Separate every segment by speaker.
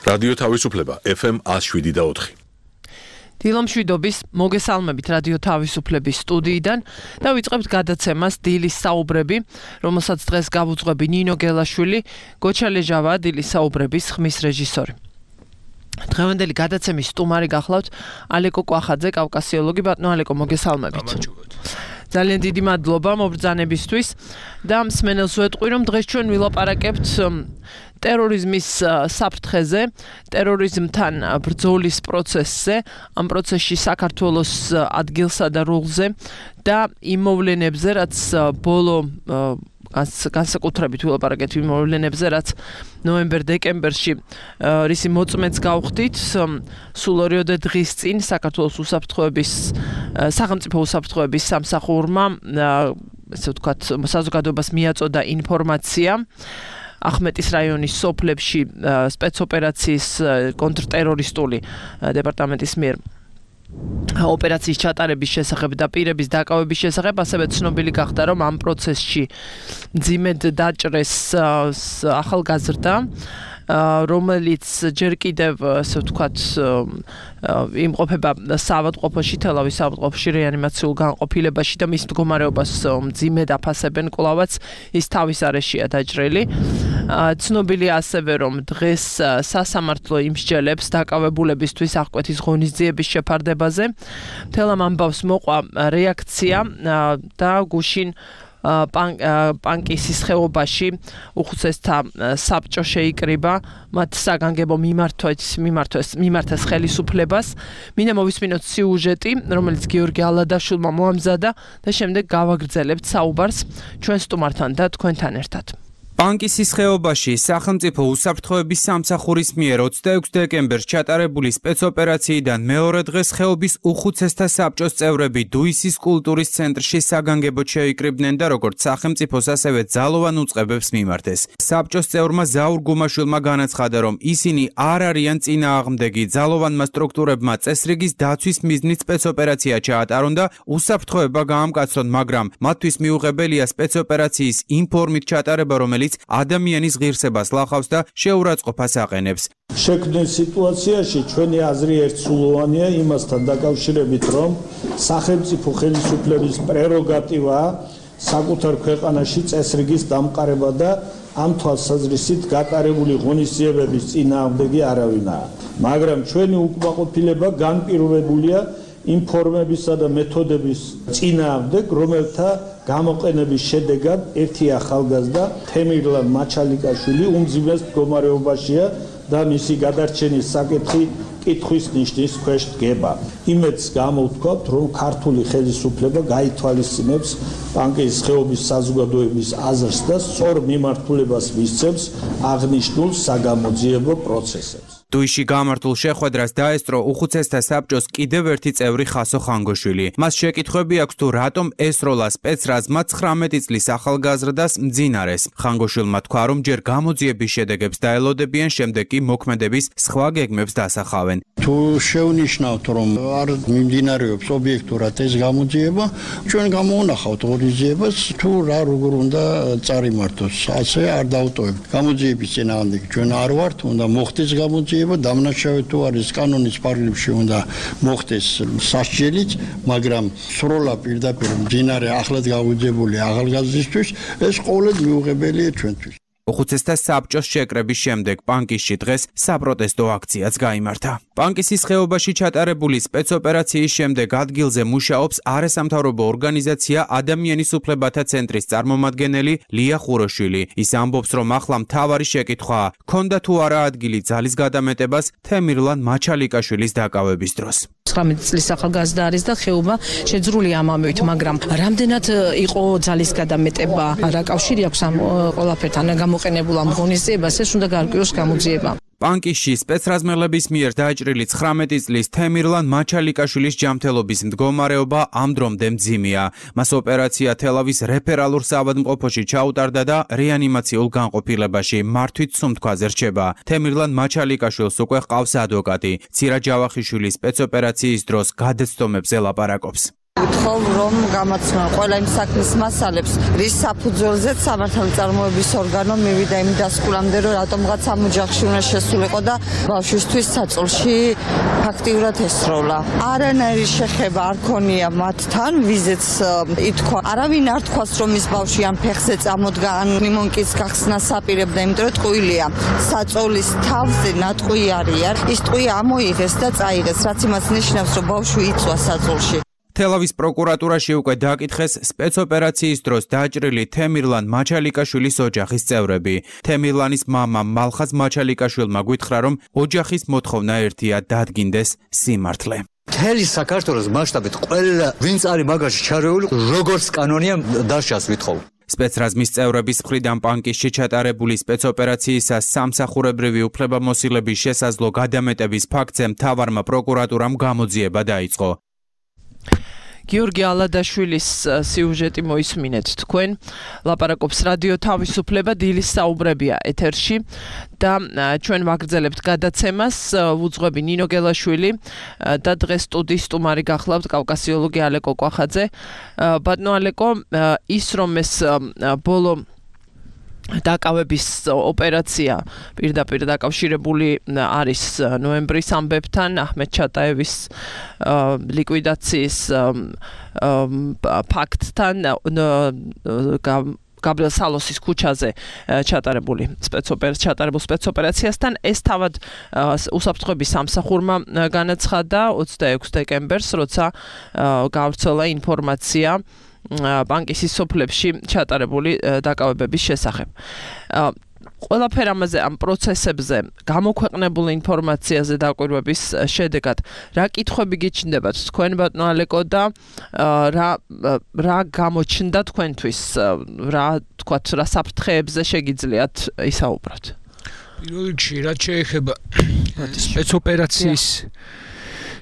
Speaker 1: რადიო თავისუფლება FM 107.4.
Speaker 2: დილამშვიდობის მოგესალმებით რადიო თავისუფლების სტუდიიდან და ვიწყებთ გადაცემას დილის საუბრები, რომელსაც დღეს გავუძღვები ნინო გელაშვილი, გოჩა ლეჟავა, დილის საუბრების ხმის რეჟისორი. დღევანდელი გადაცემის სტუმარი გახლავთ ალეკო კვახაძე, კავკასიოლოგი. ბატონო ალეკო, მოგესალმებით. ძალიან დიდი მადლობა მობრძანებისთვის და მსმენელს ვეტყვი, რომ დღეს ჩვენ ვილაპარაკებთ ტერორიზმის საფრთხეზე, ტერორიზმთან ბრძოლის პროცესზე, ამ პროცესში საქართველოს ადგილსა და როლზე და იმ მოვლენებზე, რაც ბოლო განსაკუთრებით ვილაპარაკეთ იმ მოვლენებზე, რაც ნოემბერ-დეკემბერში რისი მოწმეც გავხდით, სულ 2 დღის წინ საქართველოს სახელმწიფო უსაფრთხოების სამსახურმა, ესე ვთქვათ, საზოგადოებას მიაწოდა ინფორმაცია ახმეტის რაიონის სოფლებში სპეცოპერაციის კონტრტერორისტული დეპარტამენტის მიერ ოპერაციის ჩატარების შესახებ და პირების დაკავების შესახებ, ასევე ცნობილი გახდა, რომ ამ პროცესში მძიმედ დაჭრეს ახალგაზრდა, რომელიც ჯერ კიდევ, ასე ვთქვათ, იმყოფება საავადმყოფოში, თელავის საავადმყოფოში, რეანიმაციულ განყოფილებაში და მის მდგომარეობას მძიმედ აფასებენ კვლავაც, ის თავის არეშია დაჭრილი. ცნობილია ასევე, რომ დღეს სასამართლო იმსჯელებს დაკავებულებისთვის აღკვეთის ღონისძიების შეფარდებაზე. მთელ ამ ამბავს მოყვა რეაქცია და გუშინ პანკისის ხეობაში უხუცესთა საბჭო შეიკრიბა მათ საგანგებო მიმართეს ხელისუფლებას. მინდა მოვისმინოთ სიუჟეტი, რომელიც გიორგი ალადაშვილმა მოამზადა და შემდეგ გავაგრძელებთ საუბარს ჩვენ სტუმართან და თქვენთან ერთად.
Speaker 3: პანკისის ხეობაში სახელმწიფო უსაფრთხოების სამსახურის მიერ 26 დეკემბერს ჩატარებული სპეცოპერაციიდან მეორე დღეს ხეობის უხუცესთა საბჭოს წევრები დუისის კულტურის ცენტრში საგანგებოდ შეიკრიბნენ და როგორც სახელმწიფოს, ასევე ძალოვან უწყებებს მიმართეს. საბჭოს წევრმა ზაურ გუმაშვილმა განაცხადა, რომ ისინი არ არიან წინააღმდეგი, ძალოვანმა სტრუქტურებმა წესრიგის დაცვის მიზნით სპეცოპერაცია ჩაატარონ და უსაფრთხოება გაამკაცრონ, მაგრამ მათთვის მიუღებელია სპეცოპერაციის იმ ფორმით ჩატარება, რომელიც ადამიანის ღირსებას ლახავს და შეურაცხყოფას აყენებს.
Speaker 4: შექმნილ სიტუაციაში ჩვენი აზრი ერთსულოვანია იმასთან დაკავშირებით, რომ სახელმწიფო ხელისუფლების პრეროგატივაა საკუთარ ქვეყანაში წესრიგის დამყარება და ამ თვალსაზრისით გატარებული ღონისძიებების წინააღმდეგი არავინაა. მაგრამ ჩვენი უკმაყოფილება განპირობებულია იმ ფორმებისა და მეთოდების წინააღმდეგ, რომელთა გამოყენების შედეგად ერთი ახალგაზრდა თემირლან მაჩალიკაშვილი უმძიმეს მდგომარეობაშია და მისი გადარჩენის საკითხი კითხვის ნიშნის ქვეშ დგება. იმედს გამოვთქვათ, რომ ქართული ხელისუფლება გაითვალისწინებს პანკისის ხეობის საზოგადოების აზრს და სწორ მიმართულებას მისცემს აღნიშნულ საგამოძიებო პროცესებს.
Speaker 3: დუისში გამართულ შეხვედრას დაესწრო უხუცესთა საბჭოს კიდევ ერთი წევრი ხასო ხანგოშვილი. მას შეკითხვები აქვს თუ რატომ ესროლა სპეცრაზმა 19 წლის ახალგაზრდას მძინარეს. ხანგოშვილმა თქვა, რომ ჯერ გამოძიების შედეგებს დაელოდებიან, შემდეგ კი მოქმედების სხვა გეგმებს დასახავენ.
Speaker 5: თუ შევნიშნავთ, რომ არ მიმდინარეობს ობიექტურად ეს გამოძიება, ჩვენ გამოვანახავთ ღონისძიებას, თუ რა როგორ უნდა წარიმართოს, ასე არ დავტოვებთ. გამოძიების წინააღმდეგ ჩვენ არ ვართ, უნდა მოხდეს გამოძიება. დამნაშავე თუ არის კანონის პარალელში უნდა მოხდეს სასჯელიც, მაგრამ სროლა პირდაპირ მძინარე ახლად გაუძებული ახალგაზრდისთვის ეს ყოველდღე მიუღებელია ჩვენთვის.
Speaker 3: უხუცესთა საბჭოს შეკრების შემდეგ პანკისში დღეს საპროტესტო აქციაც გაიმართა. პანკისის ხეობაში ჩატარებული სპეცოპერაციის შემდეგ ადგილზე მუშაობს არასამთავრობო ორგანიზაცია ადამიანის უფლებათა ცენტრის წარმომადგენელი ლია ხუროშვილი. ის ამბობს, რომ ახლა მთავარი შეკითხვაა, ქონდა თუ არა ადგილი ძალის გადამეტებას თემირლან მაჩალიკაშვილის დაკავების დროს.
Speaker 6: 19 წლის ახალგაზრდა არის და ხეობა შეძრული ამამივით, მაგრამ რამდენად იყო ძალის გადამეტება, რა კავშირი აქვს ამ ყველაფერთან გამოყენებულ ამ ღონისძიებას, ეს უნდა გაარკვიოს გამოძიება.
Speaker 3: პანკისში სპეცრაზმელების მიერ დაჭრილი 19 წლის თემირლან მაჩალიკაშვილის ჯანმრთელობის მდგომარეობა ამ დრომდე მძიმეა. მას ოპერაცია თელავის რეფერალურ საავადმყოფოში ჩაუტარდა და რეანიმაციულ განყოფილებაში მართვით სუნთქვაზე რჩება. თემირლან მაჩალიკაშვილს უკვე ჰყავს ადვოკატი. ცირა ჯავახიშვილის სპეცოპერაციის დროს გადაცდომებზე ლაპარაკობს.
Speaker 7: ვთხოვ რომ გამაცნონ ყველა იმ საქმის მასალებს, რის საფუძველზეც სამართალწარმოების ორგანო მივიდა იმ დასკვნამდე, რომ რატომღაც ამ ოჯახში უნდა შესულიყო და ბავშვისთვის საწოლში ფაქტიურად ესროლა. არანაირი შეხება არ ქონია მათთან, ვიზეც ითქვა. არავინ არ თქვას, რომ ის ბავშვი ამ ფეხზე წამოდგა, ან ნიმონკის გახსნას აპირებდა, იმიტომ რომ ტყუილია. საწოლის თავზე ნატყვი არიან. ის ტყვი ამოიღეს და წაიღეს, რაც იმას ნიშნავს, რომ ბავშვი იწვა საწოლში.
Speaker 3: თელავის პროკურატურაში უკვე დააკითხეს სპეცოპერაციის დროს დაჭრილი თემირლან მაჩალიკაშვილის ოჯახის წევრები. თემირლანის მამა მალხაზ მაჩალიკაშვილმა გითხრა, რომ ოჯახის მოთხოვნა ერთია დადგინდეს სიმართლე.
Speaker 8: მთელი საქართველოს მასშტაბით ყველა ვინც არის მაგაში ჩარეული, როგორც კანონია დაშას ვითხოვ.
Speaker 3: სპეცრაზმის წევრების მხრიდან პანკისში ჩატარებული სპეცოპერაციისას სამსახურებრივი უფლებამოსილების შესაძლო გადამეტების ფაქტზე მთავარმა პროკურატურამ გამოძიება დაიწყო.
Speaker 2: გიორგი ალადაშვილის სიუჟეტი მოისმინეთ თქვენ. ლაპარაკობს რადიო თავისუფლება, დილის საუბრებია ეთერში და ჩვენ ვაგრძელებთ გადაცემას. ვუძღვები ნინო გელაშვილი და დღეს სტუდიის სტუმარი გახლავთ კავკასიოლოგი ალეკო კვახაძე. ბატონო ალეკო, ის რომ ეს ბოლო დაკავების ოპერაცია პირდაპირ დაკავშირებული არის ნოემბრის ამბებთან, აჰმედ ჩატაევის ლიკვიდაციის ფაქტთან, გაბრიელ სალოსის ქუჩაზე ჩატარებულ სპეცოპერაციასთან. ეს თავად უსაფრთხოების სამსახურმა განაცხადა 26 დეკემბერს, როცა გავრცელა ინფორმაცია პანკისის სოფლებში ჩატარებული დაკავებების შესახებ. ყველაფერ ამაზე ამ პროცესებზე გამოქვეყნებული ინფორმაციაზე დაკვირვების შედეგად რა კითხვები გიჩნდებათ თქვენ ბატონო ალეკო და რა გამოჩნდა თქვენთვის, რა თქვათ, რა საფრთხეებზე შეგიძლიათ ისაუბროთ?
Speaker 9: პირველ რიგში რაც შეეხება სპეცოპერაციის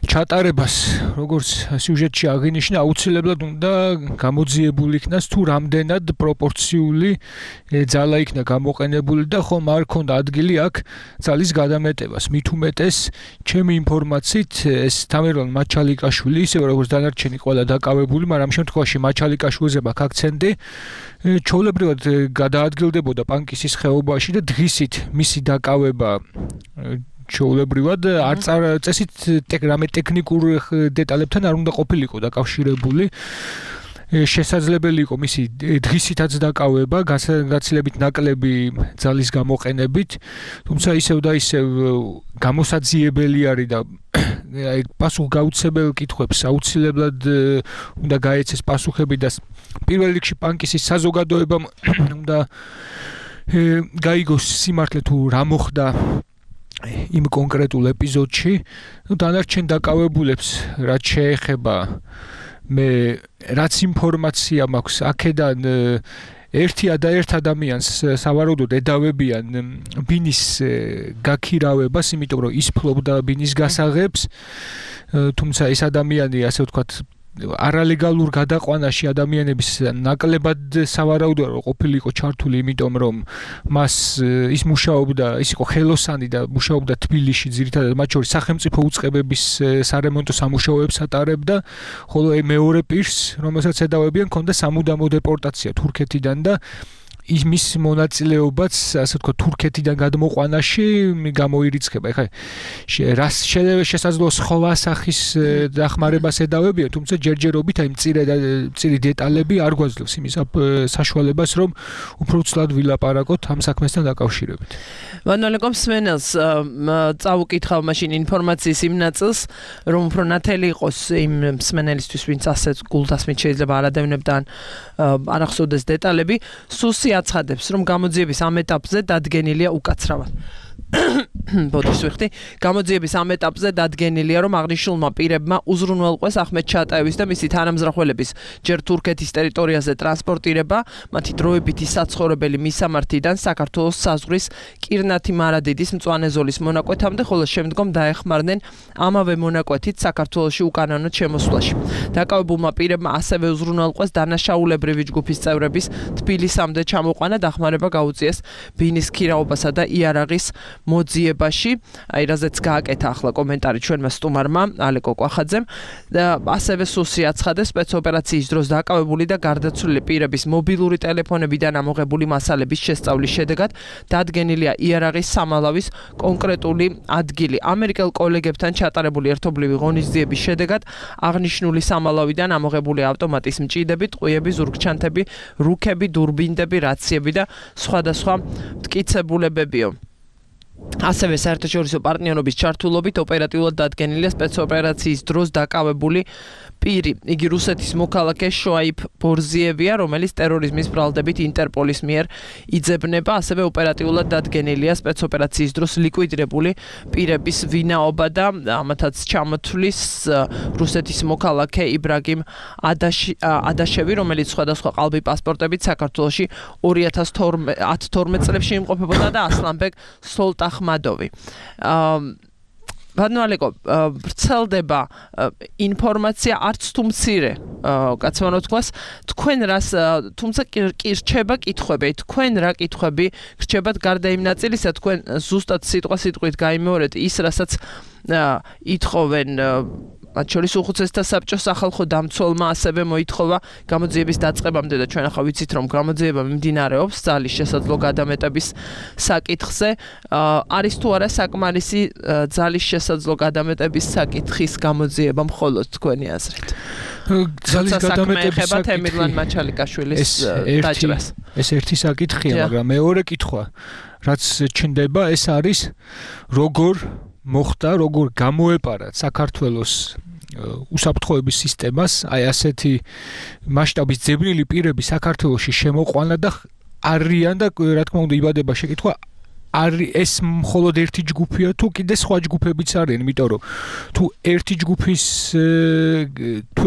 Speaker 9: ჩატარებას, როგორც სიუჟეტში აღინიშნა, აუცილებლად უნდა გამოძიებული იქნას თუ რამდენად პროპორციული ძალა იქნა გამოყენებული და ხომ არ ქონდა ადგილი აქ ძალის გადამეტებას. მით უმეტეს, ჩემი ინფორმაციით, ეს თამერლან მაჩალიკაშვილი, ისევე როგორც დანარჩენი ყველა დაკავებული, მაგრამ ამ შემთხვევაში მაჩალიკაშვილზე მაქვს აქცენტი, ჩვეულებრივად გადაადგილდებოდა პანკისის ხეობაში და დღისით მისი დაკავება ჩვეულებრივად წესით რამე ტექნიკურ დეტალებთან არ უნდა ყოფილიყო დაკავშირებული. შესაძლებელი იყო მისი დღისითაც დაკავება, გაცილებით ნაკლები ძალის გამოყენებით, თუმცა ისევ და ისევ გამოსაძიებელი არის და პასუხგაუცებელ კითხვებს აუცილებლად უნდა გაეცეს პასუხები და პირველ რიგში პანკისის საზოგადოებამ უნდა გაიგოს სიმართლე თუ რა მოხდა იმ კონკრეტულ ეპიზოდში. დანარჩენ დაკავებულებს რაც შეეხება მე რაც ინფორმაცია მაქვს აქედან ერთ ადამიანს სავარაუდოდ ედავებიან ბინის გაქირავებას, იმიტომ რომ ის ფლობდა ბინის გასაღებს, თუმცა ეს ადამიანი, ასე ვთქვათ, არალეგალურ გადაყვანაში ადამიანების ნაკლებად სავარაუდოა რომ ყოფილიყო ჩართული, იმიტომ რომ მას ის იყო ხელოსანი და მუშაობდა თბილისში, ძირითადად მათ შორის სახელმწიფო უწყებების სარემონტო სამუშაოებს ატარებდა, ხოლო მეორე პირს, რომელსაც ედავებიან, ჰქონდა სამუდამო დეპორტაცია თურქეთიდან და იმის მონაწილეობაც, ასე ვთქვათ, თურქეთიდან გადმოყვანაში გამოირიცხება. ეხლა რას შესაძლოა სხვა სახის დახმარებას ედავებიან, თუმცა ჯერჯერობით აი მწირი დეტალები არ გვაძლევს იმის საშუალებას, რომ უფრო ცუდად ვილაპარაკოთ ამ საქმესთან დაკავშირებით.
Speaker 2: ბანალეკომ სმენელს წავუკითხავ მაშინ ინფორმაციის იმ ნაწილს, რომ უფრო ნათელი იყოს იმ სმენელისთვის, ვინც ასეთ გულდასმით შეიძლება არ ადევნებდა ან არ ახსოვდეს დეტალები, სუსი აცხადებს, რომ გამოძიების ამ ეტაპზე დადგენილია უკაცრავად. ბოდიშ ვიხდი, გამოძიების ამ ეტაპზე დადგენილია, რომ აღნიშნულმა პირებმა უზრუნველყვეს აჰმედ ჩატაევის და მისი თანამზრახველების ჯერ თურქეთის ტერიტორიაზე ტრანსპორტირება, მათი დროებითი საცხოვრებელი მისამართიდან საქართველოს საზღვრის კირნათი მარადიდის მწვანე ზოლის მონაკვეთამდე, ხოლო შემდგომ დაეხმარნენ ამავე მონაკვეთით საქართველოში უკანონოდ შემოსვლაში. დაკავებულმა პირებმა ასევე უზრუნველყვეს დანაშაულებრივი ჯგუფის წევრების თბილისამდე ჩამოყვანა, დახმარება გაუწიეს ბინის ქირაობასა და იარაღის მოძიებას განხორციელებაში, აი რაზეც გააკეთა ახლა კომენტარი ჩვენმა სტუმარმა ალეკო კვახაძემ და ასევე სუსი აცხადეს სპეცოპერაციის დროს დაკავებული და გარდაცვლილი პირების მობილური ტელეფონებიდან ამოღებული მასალების შესწავლის შედეგად დადგენილია იარაღის სამალავის კონკრეტული ადგილი. ამერიკელ კოლეგებთან ჩატარებული ერთობლივი ღონისძიების შედეგად აღნიშნული სამალავიდან ამოღებული ავტომატის მჭიდები, ტყვიები, ზურგჩანთები, რუქები, დურბინდები, რაციები და სხვადასხვა მტკიცებულებებიო. ასევე საერთაშორისო პარტნიორობის ჩართულობით ოპერატიულად დადგენილია სპეცოპერაციის დროს დაკავებული პირი. იგი რუსეთის მოქალაქე შოაიფ ბორზიევია, რომელიც ტერორიზმის ბრალდებით ინტერპოლის მიერ იძებნება. ასევე ოპერატიულად დადგენილია სპეცოპერაციის დროს ლიკვიდირებული პირების ვინაობა და ამათაც ჩამოთვლის რუსეთის მოქალაქე იბრაგიმ ადაშევი, რომელიც სხვადასხვა ყალბი პასპორტებით საქართველოში 2012 წლებში იმყოფებოდა და ასლანბეგ სოლტახმადოვი. ბანალეკო ვრცელდება ინფორმაცია არც თუ მცირე კაცმანო თქვას თქვენ რას თუმცა კი რჩება კითხვები თქვენ რა კითხვები რჩებათ გარდა იმ ნაწილისა თქვენ ზუსტად სიტყვით გაიმეორეთ ის რასაც ითხოვენ მათ შორის უხუცესთა საბჭოს სახალხო დამცველმა ასევე მოითხოვა გამოძიების დაწყებამდე და ჩვენ ახლა ვიცით რომ გამოძიება მიმდინარეობს ძალის შესაძლო გადამეტების საკითხზე არის თუ არა საკმარისი ძალის შესაძლო გადამეტების საკითხის გამოძიება მხოლოდ თქვენი აზრით ძალის გადამეტების საკითხი თემირლან მაჩალიკაშვილის დაჭრას
Speaker 9: ეს ერთი საკითხია მაგრამ მეორე კითხვა რაც ჩნდება ეს არის როგორ მოხდა როგორ გამოეპარა საქართველოს უსაფრთხოების სისტემას აი ასეთი მასშტაბის ძებნილი პირები საქართველოში შემოყვანა და არიან და რა თქმა უნდა იბადება შეკითხვა არის ეს მხოლოდ ერთი ჯგუფია თუ კიდე სხვა ჯგუფებიც არიან იმიტომ რომ თუ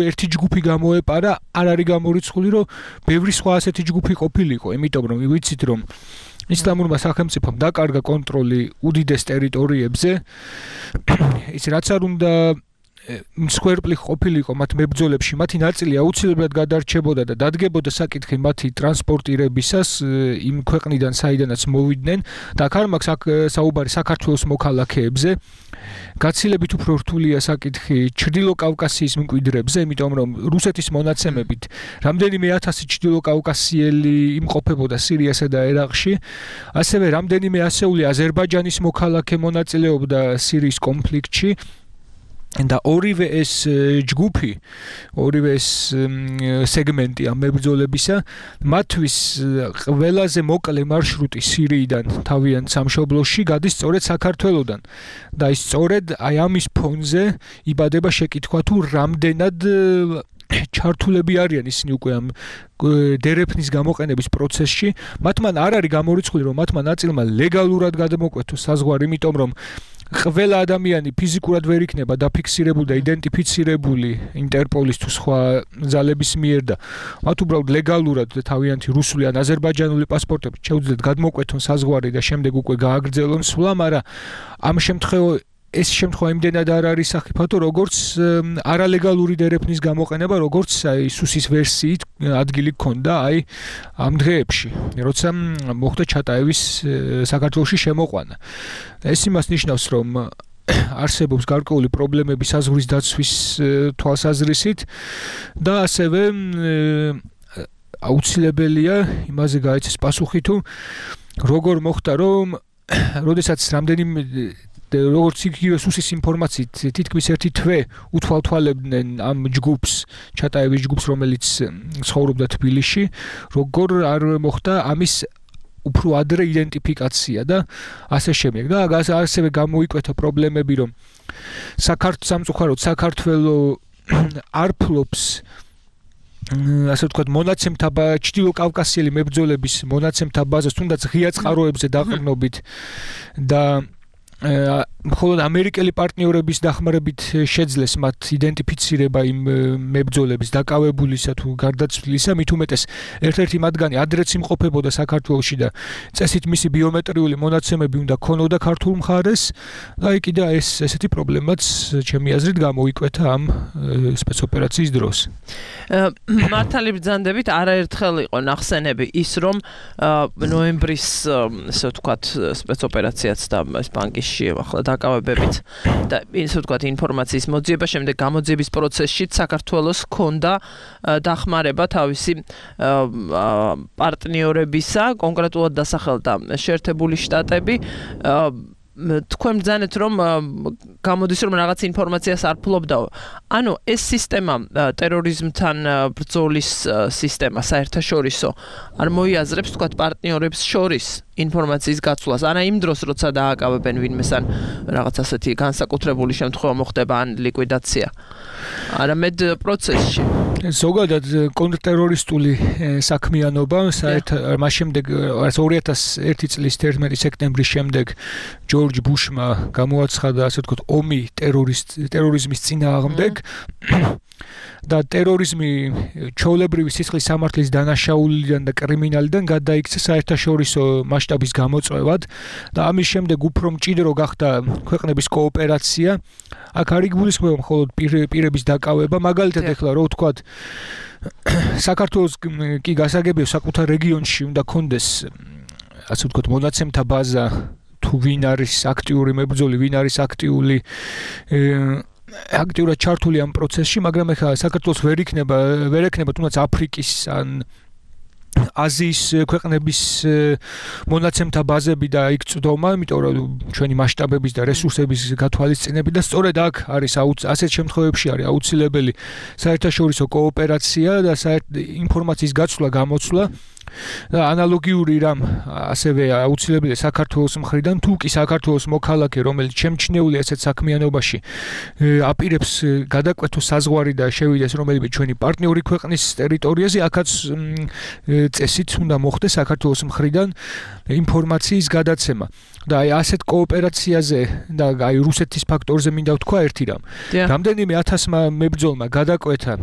Speaker 9: ერთი ჯგუფი გამოეპარა არ არის გამორიცხული რომ ბევრი სხვა ასეთი ჯგუფი ყოფილიყო იმიტომ რომ ვიცით რომ ისლამურმა სახელმწიფომ დაკარგა კონტროლი უდიდეს ტერიტორიებზე ის რაც არ უნდა მსხვერპლი ყოფილიყო მათ მებრძოლებში მათი ნაწილი აუცილებლად გადარჩებოდა და დადგებოდა საკითხი მათი ტრანსპორტირებისას იმ ქვეყნიდან საიდანაც მოვიდნენ და აქ არ მაქვს საუბარი საქართველოს მოქალაქეებზე გაცილებით უფრო რთულია საკითხი ჩრდილო კავკასიის მკვიდრებზე იმიტომ რომ რუსეთის მონაცემებით რამდენიმე 1000 ჩრდილო კავკასიელი იმყოფებოდა სირიასა და ერაყში ასევე რამდენიმე ასეული აზერბაიჯანის მოქალაქე მონაწილეობდა სირიის კონფლიქტში და ორივე ეს ჯგუფი, ორივე ეს სეგმენტი ამ მებრძოლებისა, მათთვის ყველაზე მოკლე მარშრუტი სირიიდან თავიანთ სამშობლოში გადის სწორედ საქართველოდან. და ის სწორედ აი ამის ფონზე იბადება შეკითხვა თუ რამდენად ჩართულები არიან ისინი უკვე ამ დერეფნის გამოყენების პროცესში. მათმან არ არის გამორიცხული რომ მათმა ნაწილმა ლეგალურად გადამოკვეთოს საზღვარი, იმიტომ რომ ყველა ადამიანი ფიზიკურად ვერ იქნება დაფიქსირებული და იდენტიფიცირებული ინტერპოლის თუ სხვა ძალების მიერ და მათ უბრალოდ ლეგალურად თავიანთი რუსული ან აზერბაიჯანული პასპორტებით შეუძლიათ გადმოკვეთონ საზღვარი და შემდეგ უკვე გააგრძელონ სვლა, მაგრამ ამ ეს შემთხვევა იმდენად არ არის საფრთხო, როგორც არალეგალური დერეფნის გამოყენება, როგორც აი სუსის ვერსიით ადგილი გქონდა აი ამ დღეებში, როცა მოხდა ჩატაევის საქართველოში შემოყვანა. ეს იმას ნიშნავს, რომ არსებობს გარკვეული პრობლემები საზღვრის დაცვის თვალსაზრისით და ასევე აუცილებელია იმაზე გაეცეს პასუხი თუ როგორ მოხდა რომ როდესაც რამდენიმე როგორც იგივე სუსის ინფორმაციით თითქმის ერთი თვე უთვალთვალებდნენ ამ ჯგუფს ჩატაევის ჯგუფს რომელიც ცხოვრობდა თბილისში როგორ არ მოხდა ამის უფრო ადრე იდენტიფიკაცია და ასე შემდეგ და ასევე გამოიკვეთა პრობლემები რომ სამწუხაროდ საქართველოს არ ფლობს ასე ვთქვათ მონაცემთა ჩრდილო კავკასიელი მებრძოლების მონაცემთა ბაზას თუნდაც ღია წყაროებზე დაყრდნობით და მხოლოდ ამერიკელი პარტნიორების დახმარებით შეძლეს მათ იდენტიფიცირება იმ მებრძოლების დაკავებულისა თუ გარდაცვლილისა, მით უმეტეს ერთ-ერთი მათგანი ადრეც იმყოფებოდა საქართველოში და წესით მისი ბიომეტრიული მონაცემები უნდა ქონოდა ქართულ მხარეს და კიდე ეს ესეთი პრობლემაც ჩემი აზრით გამოიკვეთა ამ სპეცოპერაციის დროს.
Speaker 2: მართალი ბრძანდებით არაერთხელ იყო ნახსენები ის რომ ნოემბრის ესე ვთქვათ სპეცოპერაციაც და ეს ბანკში ახლა დაკავებებით და ისე ვთქვათ ინფორმაციის მოძიება შემდეგ გამოძიების პროცესში საქართველოს ჰქონდა დახმარება თავისი პარტნიორებისა, კონკრეტულად დასახელდა შეერთებული შტატები. თქვენ ბრძანეთ რომ გამოდის რომ რაღაც ინფორმაციას არ ფლობდაო. ანუ ეს სისტემა ტერორიზმთან ბრძოლის სისტემა საერთაშორისო არ მოიაზრებს თქვათ პარტნიორებს შორის ინფორმაციის გაცვლას. არა იმ დროს როცა დააკავებენ ვინმეს ან რაღაც ასეთი განსაკუთრებული შემთხვევა მოხდება ან ლიკვიდაცია. არამედ პროცესში.
Speaker 9: ზოგადად კონტრტერორისტული საქმიანობა საერთოდ მას შემდეგ 2001 წლის 11 სექტემბრის შემდეგ ჯორჯ ბუშმა გამოაცხადა ასე ვთქვათ ომი ტერორიზმის წინააღმდეგ და ტერორიზმი ჩვეულებრივი სისხლის სამართლის დანაშაულიდან და კრიმინალიდან გადაიქცა საერთაშორისო მასშტაბის გამოწვევად და ამის შემდეგ უფრო მჭიდრო გახდა ქვეყნების კოოპერაცია. აქ არ იგულისხმება მხოლოდ პირების დაკავება, მაგალითად ეხლა რო ვთქვათ საქართველოს კი გასაგებია საკუთარ რეგიონში უნდა კონდეს ასე ვთქვათ მონაცემთა ბაზა თუ ვინ არის აქტიური მებრძოლი, ვინ არის აქტიურად ჩართული ამ პროცესში, მაგრამ ეხლა საქართველოს ვერ ექნება თუნდაც აფრიკის ან აზიის ქვეყნების მონაცემთა ბაზები და იქ წვდომა, იმიტომ რომ ჩვენი მასშტაბების და რესურსების გათვალისწინებით და სწორედ აქ არის ასეთ შემთხვევებში არის აუცილებელი საერთაშორისო კოოპერაცია და ინფორმაციის გაცვლა, გამოცვლა და ანალოგიური რამ ასევე აუცილებელია საქართველოს მხრიდან, თუ კი საქართველოს მოქალაქე, რომელიც შემჩნეულია ასეთ საქმიანობაში, აპირებს გადაკვეთოს საზღვარი და შევიდეს რომელიმე ჩვენი პარტნიორი ქვეყნის ტერიტორიაზე, აქაც წესით უნდა მოხდეს საქართველოს მხრიდან ინფორმაციის გადაცემა. და აი ასეთ კოოპერაციაზე და აი რუსეთის ფაქტორზე მინდა ვთქვა ერთი რამ. რამდენიმე 1000-მა მებრძოლმა გადაკვეთა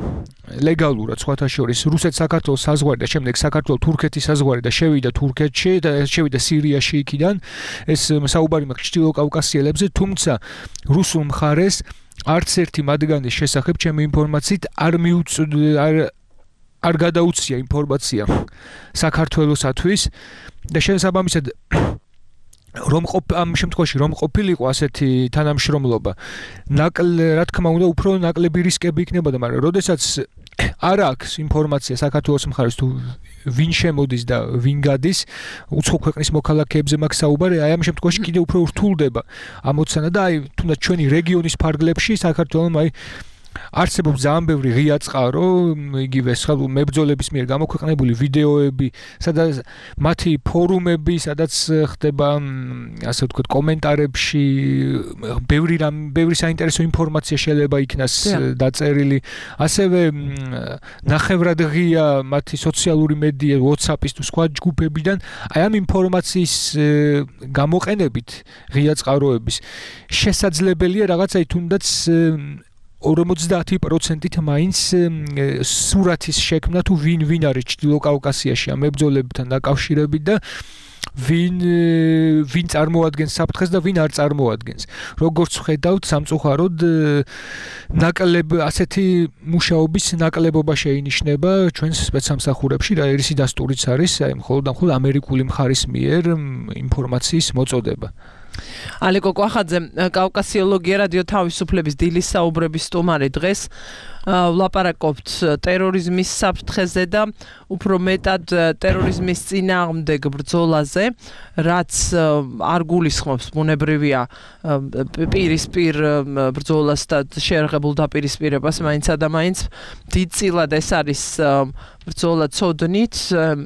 Speaker 9: ლეგალურად სხვათა შორის რუსეთ-საქართველოს საზღვარი და შემდეგ საქართველოს-თურქეთის საზღვარი და შევიდა თურქეთში და შევიდა სირიაში იქიდან. ეს საუბარი მაქვს ჩრდილო კავკასიელებზე, თუმცა რუსულ მხარეს არც ერთი მათგანის შესახებ ჩემი ინფორმაციით არ გადაუცია ინფორმაცია საქართველოსათვის და შესაბამისად ამ შემთხვევაში რომ ყოფილიყო ასეთი თანამშრომლობა, რა თქმა უნდა, უფრო ნაკლები რისკები იქნებოდა, მაგრამ როდესაც არ აქვს ინფორმაცია საქართველოს მხარეს თუ ვინ შემოდის და ვინ გადის, უცხო ქვეყნის მოქალაქეებზე მაქვს საუბარი, აი ამ შემთხვევაში კიდე უფრო რთულდება ამოცანა და აი თუნდაც ჩვენი რეგიონის ფარგლებში საქართველოს აი არსებობს ძალიან ბევრი ღია წყარო, იგივე მებრძოლების მიერ გამოქვეყნებული ვიდეოები, სადაც მათი ფორუმები, სადაც ხდება ასე ვთქვათ კომენტარებში ბევრი საინტერესო ინფორმაცია შეიძლება იქნას დაწერილი. ასევე ნახევრად ღია მათი სოციალური მედია, WhatsApp-ის თუ სხვა ჯგუფებიდან, აი ამ ინფორმაციის გამოყენებით ღია წყაროების შესაძლებელია რაღაცა თუნდაც 50%-ით მაინც სურათის შექმნა თუ ვინ არის ჩრდილო კავკასიაში ამ მებრძოლებთან დაკავშირებით და ვინ წარმოადგენს საფრთხეს და ვინ არ წარმოადგენს. როგორც ხედავთ, სამწუხაროდ ასეთი მუშაობის ნაკლებობა შეინიშნება ჩვენს სპეცსამსახურებში, რა ირისი დასტურიც არის, აი მხოლოდ ამერიკული მხარის მიერ ინფორმაციის მოწოდება.
Speaker 2: ალეკო კვახაძე, კავკასიოლოგია რადიო თავისუფლების დილის საუბრების სტუმარი დღეს ვლაპარაკობთ ტერორიზმის საფრთხეზე და უფრო მეტად ტერორიზმის წინააღმდეგ ბრძოლაზე, რაც არ გულისხმობს ბუნებრივია პირისპირ ბრძოლას და შეერღებულ დაპირისპირებას მაინცა და მაინც დიდწილად ეს არის ბრძოლა ცოდნით,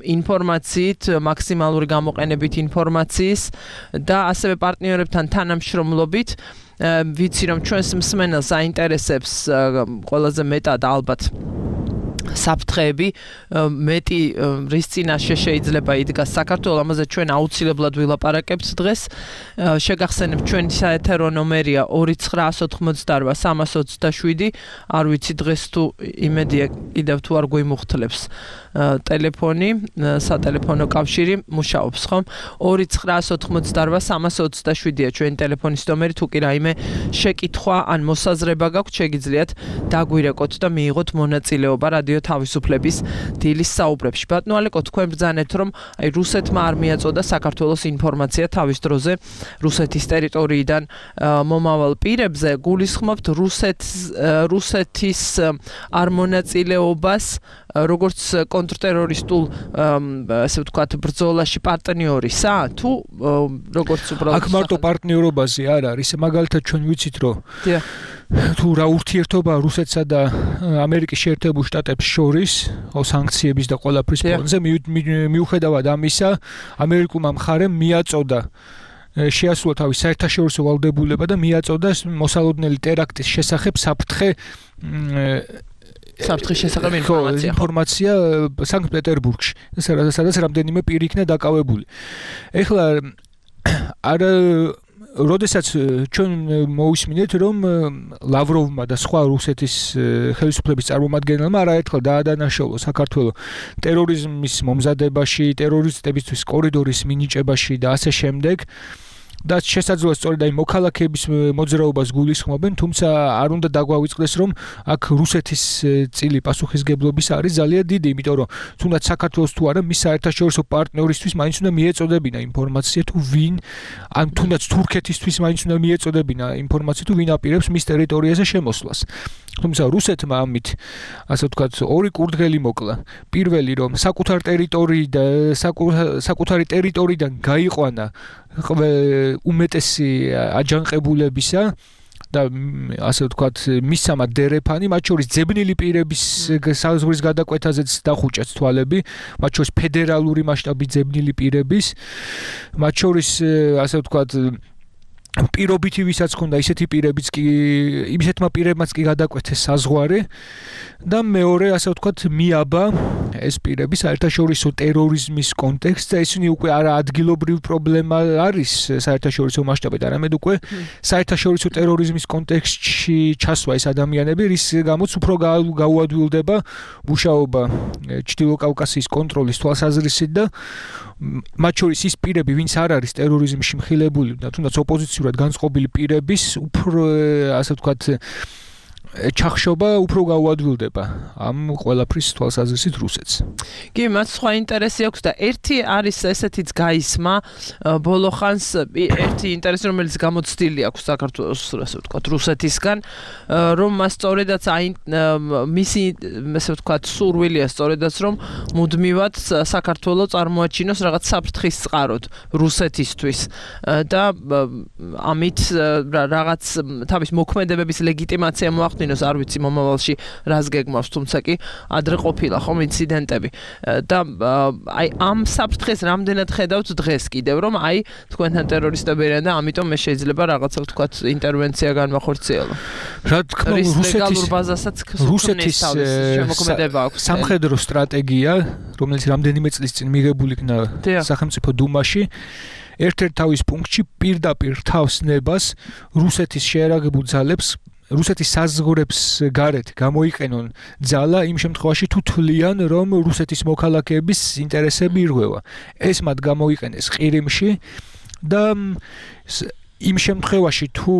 Speaker 2: ინფორმაციით, მაქსიმალური გამოყენებით ინფორმაციის და ასევე პარტნიორებთან თანამშრომლობით. ვიცი რომ ჩვენს მსმენელს აინტერესებს ყველაზე მეტად ალბათ საფრთხეები მეტი რის წინაშე შეიძლება იდგას საქართველოს, ამაზე ჩვენ აუცილებლად ვილაპარაკებთ დღეს. შეგახსენებთ ჩვენი საეთერო ნომერია 2988327. არ ვიცი დღეს თუ იმედია კიდევ თუ არ გვიმუხთლებს ტელეფონი, სატელეფონო კავშირი მუშაობს, ხომ? 2988327-ია ჩვენი ტელეფონის ნომერი, თუ კი რაიმე შეკითხვა ან მოსაზრება გაქვთ, შეგიძლიათ დაგვირეკოთ და მიიღოთ მონაწილეობა რადიო თავისუფლების დილის საუბრებში. ბატონო ალეკო, თქვენ ბრძანეთ, რომ აი რუსეთმა არ მიაწოდა საქართველოს ინფორმაცია თავის დროზე რუსეთის ტერიტორიიდან მომავალ პირებზე, გულისხმობთ რუსეთის არ მონაწილეობას როგორც კონტრტერორისტულ ასე ვთქვათ ბრძოლაში პარტნიორისა თუ როგორც უბრალოდ
Speaker 9: აქ მარტო პარტნიორობაზე არ არის, მაგალითად ჩვენ ვიცით რომ თუ რა ურთიერთობა რუსეთსა და ამერიკის შეერთებულ შტატებს შორის სანქციების და ყველაფრის ფონზე მიუხედავად ამისა ამერიკულმა მხარემ მიაწოდა შეასრულა თავის საერთაშორისო ვალდებულება და მიაწოდა მოსალოდნელი ტერაქტის შესახებ
Speaker 2: საფრთხის შესახებ
Speaker 9: ინფორმაცია სანქტ-პეტერბურგში, სადაც რამდენიმე პირი იქნა დაკავებული. ეხლა როდესაც ჩვენ მოვისმინეთ, რომ ლავროვმა და სხვა რუსეთის ხელისუფლების წარმომადგენელმა არაერთხელ დაადანაშაულა საქართველოს ტერორიზმის მომზადებაში, ტერორისტებისთვის კორიდორის მინიჭებაში და ასე შემდეგ. და შესაძლოა სწორედ აი მოქალაქეების მოძრაობას გულისხმობენ, თუმცა არ უნდა დაგვავიწყდეს, რომ აქ რუსეთის წილი პასუხისგებლობის არის ძალიან დიდი, იმიტომ რომ თუნდაც საქართველოს თუ არა მის საერთაშორისო პარტნიორისთვის მაინც უნდა მიეწოდებინა ინფორმაცია თუ ვინ, ან თუნდაც თურქეთისთვის მაინც უნდა მიეწოდებინა ინფორმაცია თუ ვინ აპირებს მის ტერიტორიაზე შემოსვლას. თუმცა რუსეთმა ამით ასე ვთქვათ ორი კურდღელი მოკლა. პირველი რომ საკუთარი ტერიტორიიდან გაიყვანა უმეტესი აჯანყებულებისა და ასე ვთქვათ მისამა დერეფანი, მათ შორის ძებნილი პირების საზღვრის გადაკვეთაზეც დახუჭეს თვალები, მათ შორის ფედერალური მასშტაბის ძებნილი პირების, მათ შორის ასე ვთქვათ პირობითი ვისაც ხონდა ისეთი პირებიც კი იმისეთმა პირებმაც კი გადაკვეთეს საზღვარი და მეორე ასე ვთქვათ მიაბა ეს პირები საერთაშორისო ტერორიზმის კონტექსტზე, ისინი უკვე არა ადგილობრივ პრობლემა არის საერთაშორისო მასშტაბით, არამედ უკვე საერთაშორისო ტერორიზმის კონტექსტში ჩასვა ეს ადამიანები, რის გამოც უფრო გაუადვილდება მუშაობა ჩრდილო კავკასიის კონტროლის თვალსაზრისით და მათ შორის ის პირები, ვინც არ არის ტერორიზმში მხილებული და თუნდაც ოპოზიციურად განწყობილი პირების უფრო ასე ვთქვათ ჩახშობა უფრო გაუადვილდება ამ ყველაფრის თვალსაზრისით რუსეთს.
Speaker 2: კი, მას სხვა ინტერესი აქვს და ერთი არის ესეთიც გაისმა ბოლო ხანს ერთი ინტერესი რომელიც გამოცდილი აქვს საქართველოს ასე ვთქვათ რუსეთისგან რომ მას სწორედაც მისი ასე ვთქვათ სურვილია სწორედაც რომ მუდმივად საქართველოს წარმოაჩინოს რაღაც საფრთხის წყაროდ რუსეთისთვის და ამით რაღაც თავის მოქმედებების ლეგიტიმაცია მოახდინოს არ ვიცი მომავალში რას გეგმავს, თუმცა კი ადრე ყოფილა ხომ ინციდენტები და აი ამ საფრთხეს რამდენად ხედავთ დღეს კიდევ რომ აი თქვენთან ტერორისტები არიან და ამიტომ მე შეიძლება რაღაცა ვთქვათ ინტერვენცია განმახორციელო.
Speaker 9: რა თქმა უნდა
Speaker 2: რუსეთის შემოქმედება აქვს
Speaker 9: სამხედრო სტრატეგია, რომელიც რამდენიმე წლის წინ მიღებული იქნა სახელმწიფო დუმაში ერთ-ერთ თავის პუნქტში პირდაპირ თავს ნებას რუსეთის შეერაგებულ ძალებს რუსეთის საზღვრებს გარეთ გამოიყენონ ძალა იმ შემთხვევაში თუ თვლიან რომ რუსეთის მოქალაქეების ინტერესები ირღვევა. ეს მათ გამოიყენეს ყირიმში და იმ შემთხვევაში თუ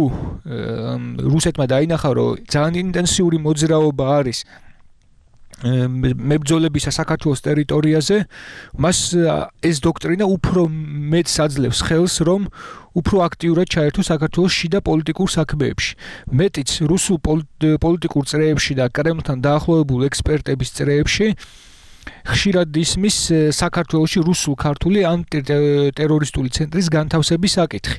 Speaker 9: რუსეთმა დაინახა რომ ძალიან ინტენსიური მოძრაობა არის მებრძოლებისა საქართველოს ტერიტორიაზე, მას ეს დოქტრინა უფრო მეტს აძლევს ხელს, რომ უფრო აქტიურად ჩაერთოს საქართველოს შიდა პოლიტიკურ საქმეებში. მეტიც რუსულ პოლიტიკურ წრეებში და კრემლთან დაახლოებულ ექსპერტების წრეებში ხშირად ისმის საქართველოში რუსულ-ქართული ანტიტერორისტული ცენტრის განთავსების საკითხი.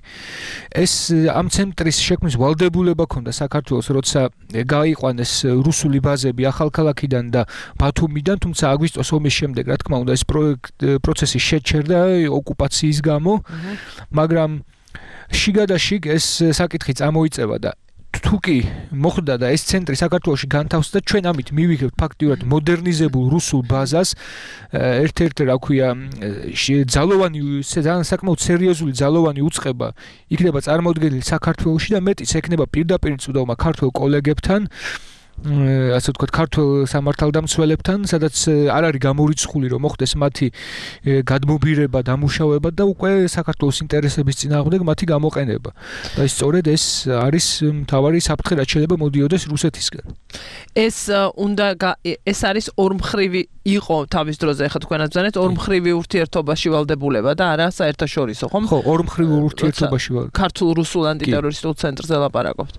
Speaker 9: ეს ამ ცენტრის შექმნის ვალდებულება ჰქონდა საქართველოს, როცა გაიყვანეს რუსული ბაზები ახალქალაქიდან და ბათუმიდან, თუმცა აგვისტოს ომის შემდეგ, რა თქმა უნდა, ეს პროცესი შეჩერდა ოკუპაციის გამო, მაგრამ შიგადაშიგ ეს საკითხი წამოიწევა და თუკი მოხდა და ეს ცენტრი საქართველოში განთავსდა, ჩვენ ამით მივიღებთ ფაქტიურად მოდერნიზებულ რუსულ ბაზას, ერთ-ერთი რა ქვია, ძალოვანი საკმაოდ სერიოზული ძალოვანი უწყება იქნება წარმოდგენილი საქართველოში და მეტიც ექნება პირდაპირ წვდომა ქართველ კოლეგებთან, ასე ვთქვათ, ქართულ სამართალდამცველებთან, სადაც არ არის გამორიცხული, რომ მოხდეს მათი გადმობირება, დამუშავება და უკვე საქართველოს ინტერესების წინააღმდეგ მათი გამოყენება. და სწორედ ეს არის მთავარი საფრთხე, რაც შეიძლება მოდიოდეს რუსეთისგან.
Speaker 2: ეს არის ორმხრივი იყო თავის დროზე, ახლა თქვენაც ბრძანეთ, ორმხრივი ურთიერთობაში ვალდებულება და არა საერთაშორისო, ხომ?
Speaker 9: ხო, ორმხრივი ურთიერთობაში ვალ.
Speaker 2: ქართულ-რუსულ ანტიტერორისტულ ცენტრზე ლაპარაკობთ.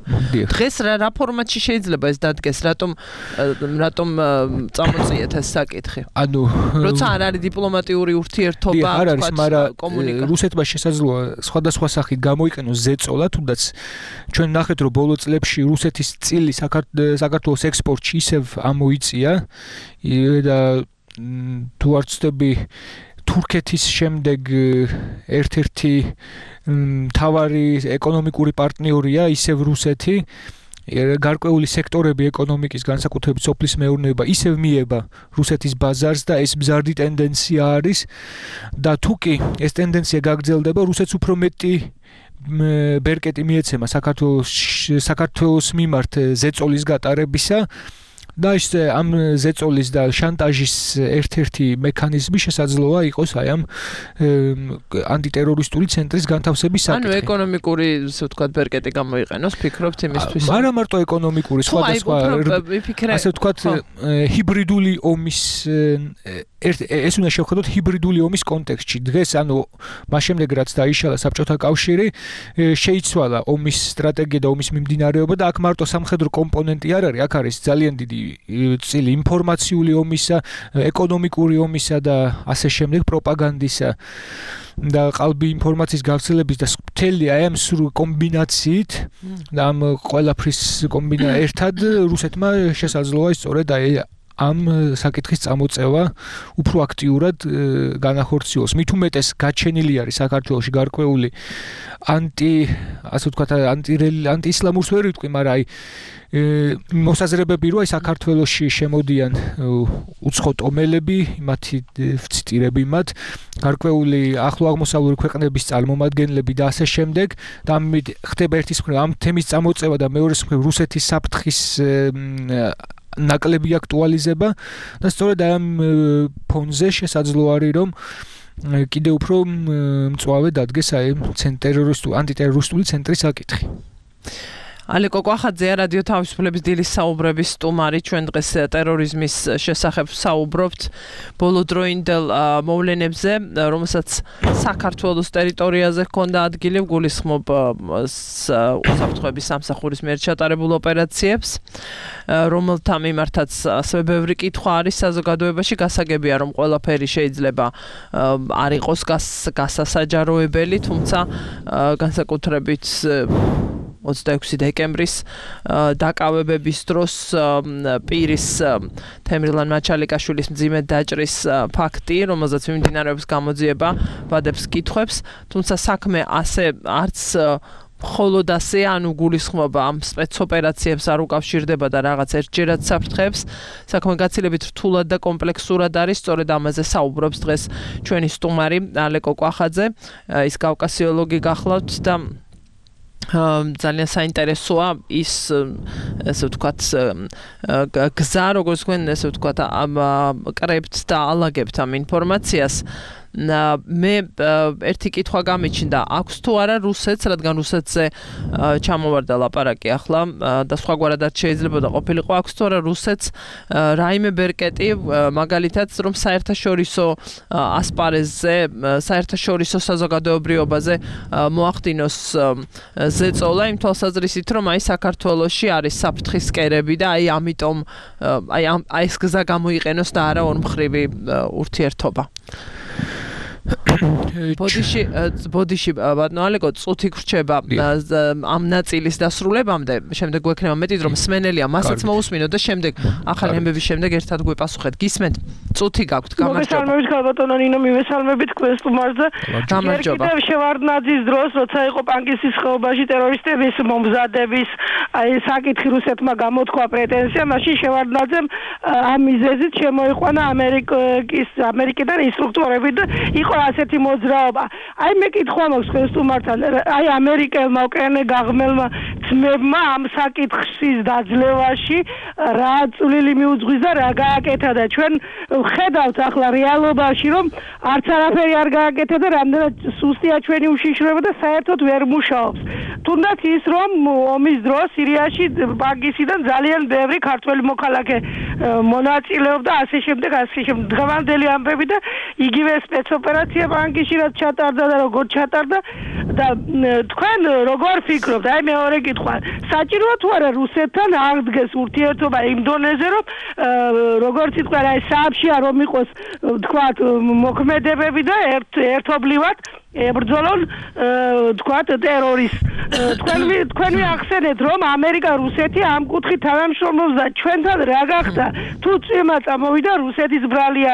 Speaker 2: დღეს რა ფორმატში შეიძლება ეს დადგეს, რატომ წამოწიეთ ეს საკითხი?
Speaker 9: ანუ
Speaker 2: როცა არ არის დიპლომატიური ურთიერთობა,
Speaker 9: არ არის, მაგრამ რუსეთმა შესაძლოა სხვადასხვა სახით გამოიყენოს ზეწოლა, თუნდაც ჩვენ ნახეთ, რომ ბოლო წლებში რუსეთის წილი საქართველოს ექსპორტში ისევ ამოიწია და თუ არ ვცდები თურქეთის შემდეგ ერთ-ერთი მთავარი ეკონომიკური პარტნიორია ისევ რუსეთი, გარკვეული სექტორები ეკონომიკის, განსაკუთრებით სოფლის მეურნეობა ისევ მიება რუსეთის ბაზარს და ეს მზარდი ტენდენცია არის და თუკი ეს ტენდენცია გაგრძელდება, რუსეთს უფრო მეტი ბერკეტი მიეცემა საქართველოს მიმართ ზეწოლის გატარებისა და ის ამ ზეწოლის და შანტაჟის ერთ-ერთი მექანიზმი შესაძლოა იყოს აი ამ ანტიტერორისტული ცენტრის განთავსების საკითხი.
Speaker 2: ანუ ეკონომიკური, ასე ვთქვათ, ბერკეტი გამოიყენოს, ფიქრობთ იმისთვის?
Speaker 9: არა მარტო ეკონომიკური, სხვადასხვა, ასე ვთქვათ, ჰიბრიდული ომის ეს უნდა შევხედოთ ჰიბრიდული ომის კონტექსტში. დღეს ანუ მას შემდეგ რაც დაიშალა საბჭოთა კავშირი, შეიცვალა ომის სტრატეგია და ომის მიმდინარეობა და აქ მარტო სამხედრო კომპონენტი არ არის, აქ არის ძალიან დიდი წილი ინფორმაციული ომისა, ეკონომიკური ომისა და ასე შემდეგ პროპაგანდისა და ყალბი ინფორმაციის გავრცელების და მთელი აი ამ სრულ კომბინაციით და ამ ყველაფრის ერთად რუსეთმა შესაძლოა სწორედ აი ამ საკითხის წამოწევა უფრო აქტიურად განახორციელოს. მით უმეტეს გაჩენილი არის საქართველოში გარკვეული ასე ვთქვათ, ანტიისლამურს ვერ ვიტყვი, მაგრამ აი მოსაზრებები რომ აი საქართველოში შემოდიან უცხო ტომელები, მათი ვციტირები მათ, გარკვეული ახლო აღმოსავლური ქვეყნების წარმომადგენლები და ასე შემდეგ და ამით ხდება ერთის მხრივ ამ თემის წამოწევა და მეორეს მხრივ რუსეთის საფრთხის ნაკლები აქტუალიზება და სწორედ ამ ფონზე შესაძლოა არის რომ კიდევ უფრო მწვავე დადგეს აი ანტიტერორისტული ცენტრის საკითხი.
Speaker 2: ალეკო კვახაძე, რადიო თავისუფლების დილის საუბრების სტუმარი, ჩვენ დღეს ტერორიზმის შესახებ საუბრობთ ბოლოდროინდელ მოვლენებზე, რომელსაც საქართველოს ტერიტორიაზე ჰქონდა ადგილი, გულისხმობ უსაფრთხოების სამსახურის მიერ ჩატარებულ ოპერაციებს, რომელთა მიმართაც ასევე ბევრი კითხვა არის საზოგადოებაში, გასაგებია რომ ყველაფერი შეიძლება არ იყოს გასასაჯაროებელი, თუმცა განსაკუთრებით 26 დეკემბრის დაკავებების დროს პირის თემრილან მაჩალიკაშვილის მძიმე დაჭრის ფაქტი, რომელზეც მიმდინარეობს გამოძიება, ვადებს კითხვებს, თუმცა საქმე ასე არც მხოლოდ ასე, ანუ გულისხმობა ამ სპეცოპერაციებს არ უკავშირდება და რაღაც ერთჯერად საფრთხეებს, საქმე გაცილებით რთულად და კომპლექსურად არის, სწორედ ამაზე საუბრობს დღეს ჩვენი სტუმარი ალეკო კვახაძე, ის კავკასიოლოგი გახლავთ და ძალიან საინტერესოა ის ესე ვთქვათ გზა, როგორც თქვენ ესე ვთქვათ კრებთ და ალაგებთ ამ ინფორმაციას. მე ერთი კითხვა გამიჩნდა, აქვს თუ არა რუსეთს, რადგან რუსეთზე ჩამოვარდა ლაპარაკი ახლა და სხვაგვარად არ შეიძლება და ყოფილიყო, აქვს თუ არა რუსეთს რაიმე ბერკეტი, მაგალითად რომ საერთაშორისო ასპარეზზე, საერთაშორისო საზოგადოებრიობაზე მოახდინოს ზეწოლა იმ თვალსაზრისით, რომ აი საქართველოში არის საფრთხის კერები და აი ამიტომ აი ეს გზა გამოიყენოს და არა ორმხრივი ურთიერთობა. ბოდიში ბატონო ალეკო წუთი გრჩება ამ ნაწილის დასრულებამდე, შემდეგ გვექნება მეტი დრო მსმენელია, მასაც მოусმინოთ და შემდეგ ახალი ამბების შემდეგ ერთად გვეპასუხეთ. გისმენთ? წუთი გაქვთ, გამარჯობა.
Speaker 10: მოგესალმებით ქალბატონო ნინო, მივესალმებით თქვენს სტუმარზე.
Speaker 2: გამარჯობა.
Speaker 10: კიდევ შევარდნაძის დროს, როცა იყო პანკისის ხეობაში ტერორისტების მომზადების საკითხი რუსეთმა გამოთქვა პრეტენზია, მაშინ შევარდნაძემ ამ მიზეზით შემოიყვანა ამერიკიდან ინსტრუქტორები და იყო ასეთი მოძრაობა. აი მე კითხვა მაქვს თქვენს სტუმართან, აი ამერიკელმა უკრაინე გაღმელმა ძმებმა ამ საკითხის დაძლევაში რა წვლილი მიუძღვის და რა გააკეთა და ჩვენ ხედავთ ახლა რეალობაში რომ არც არაფერი არ გააკეთა და რამდენად სუსტია ჩვენი უშიშროება და საერთოდ ვერ მუშაობს. თუნდაც ის რომ ომის დროს სირიაში პანკისიდან ძალიან ბევრი ქართველი მოქალაქე მონაწილეობდა ასე შემდეგ დღევანდელი ამბები და იგივე სპეცოპერაცია პანკისში რაც ჩატარდა და როგორ ჩატარდა და თქვენ როგორ ფიქრობთ? აი მეორე კითხვა. საჭიროა თუ არა რუსეთთან აღდგეს ურთიერთობა იმ დონეზე რომ როგორც იტყვა აი სააბშია რომ იყოს თქვათ მოქმედებები და ერთობლივად ებრძოლონ თქვათ ტერორისტს. თქვენ ახსენეთ რომ ამერიკა რუსეთი ამ კუთხით თანამშრომლობს და ჩვენთან რა გახდა? თუ წვიმა წამოვიდა რუსეთის ბრალია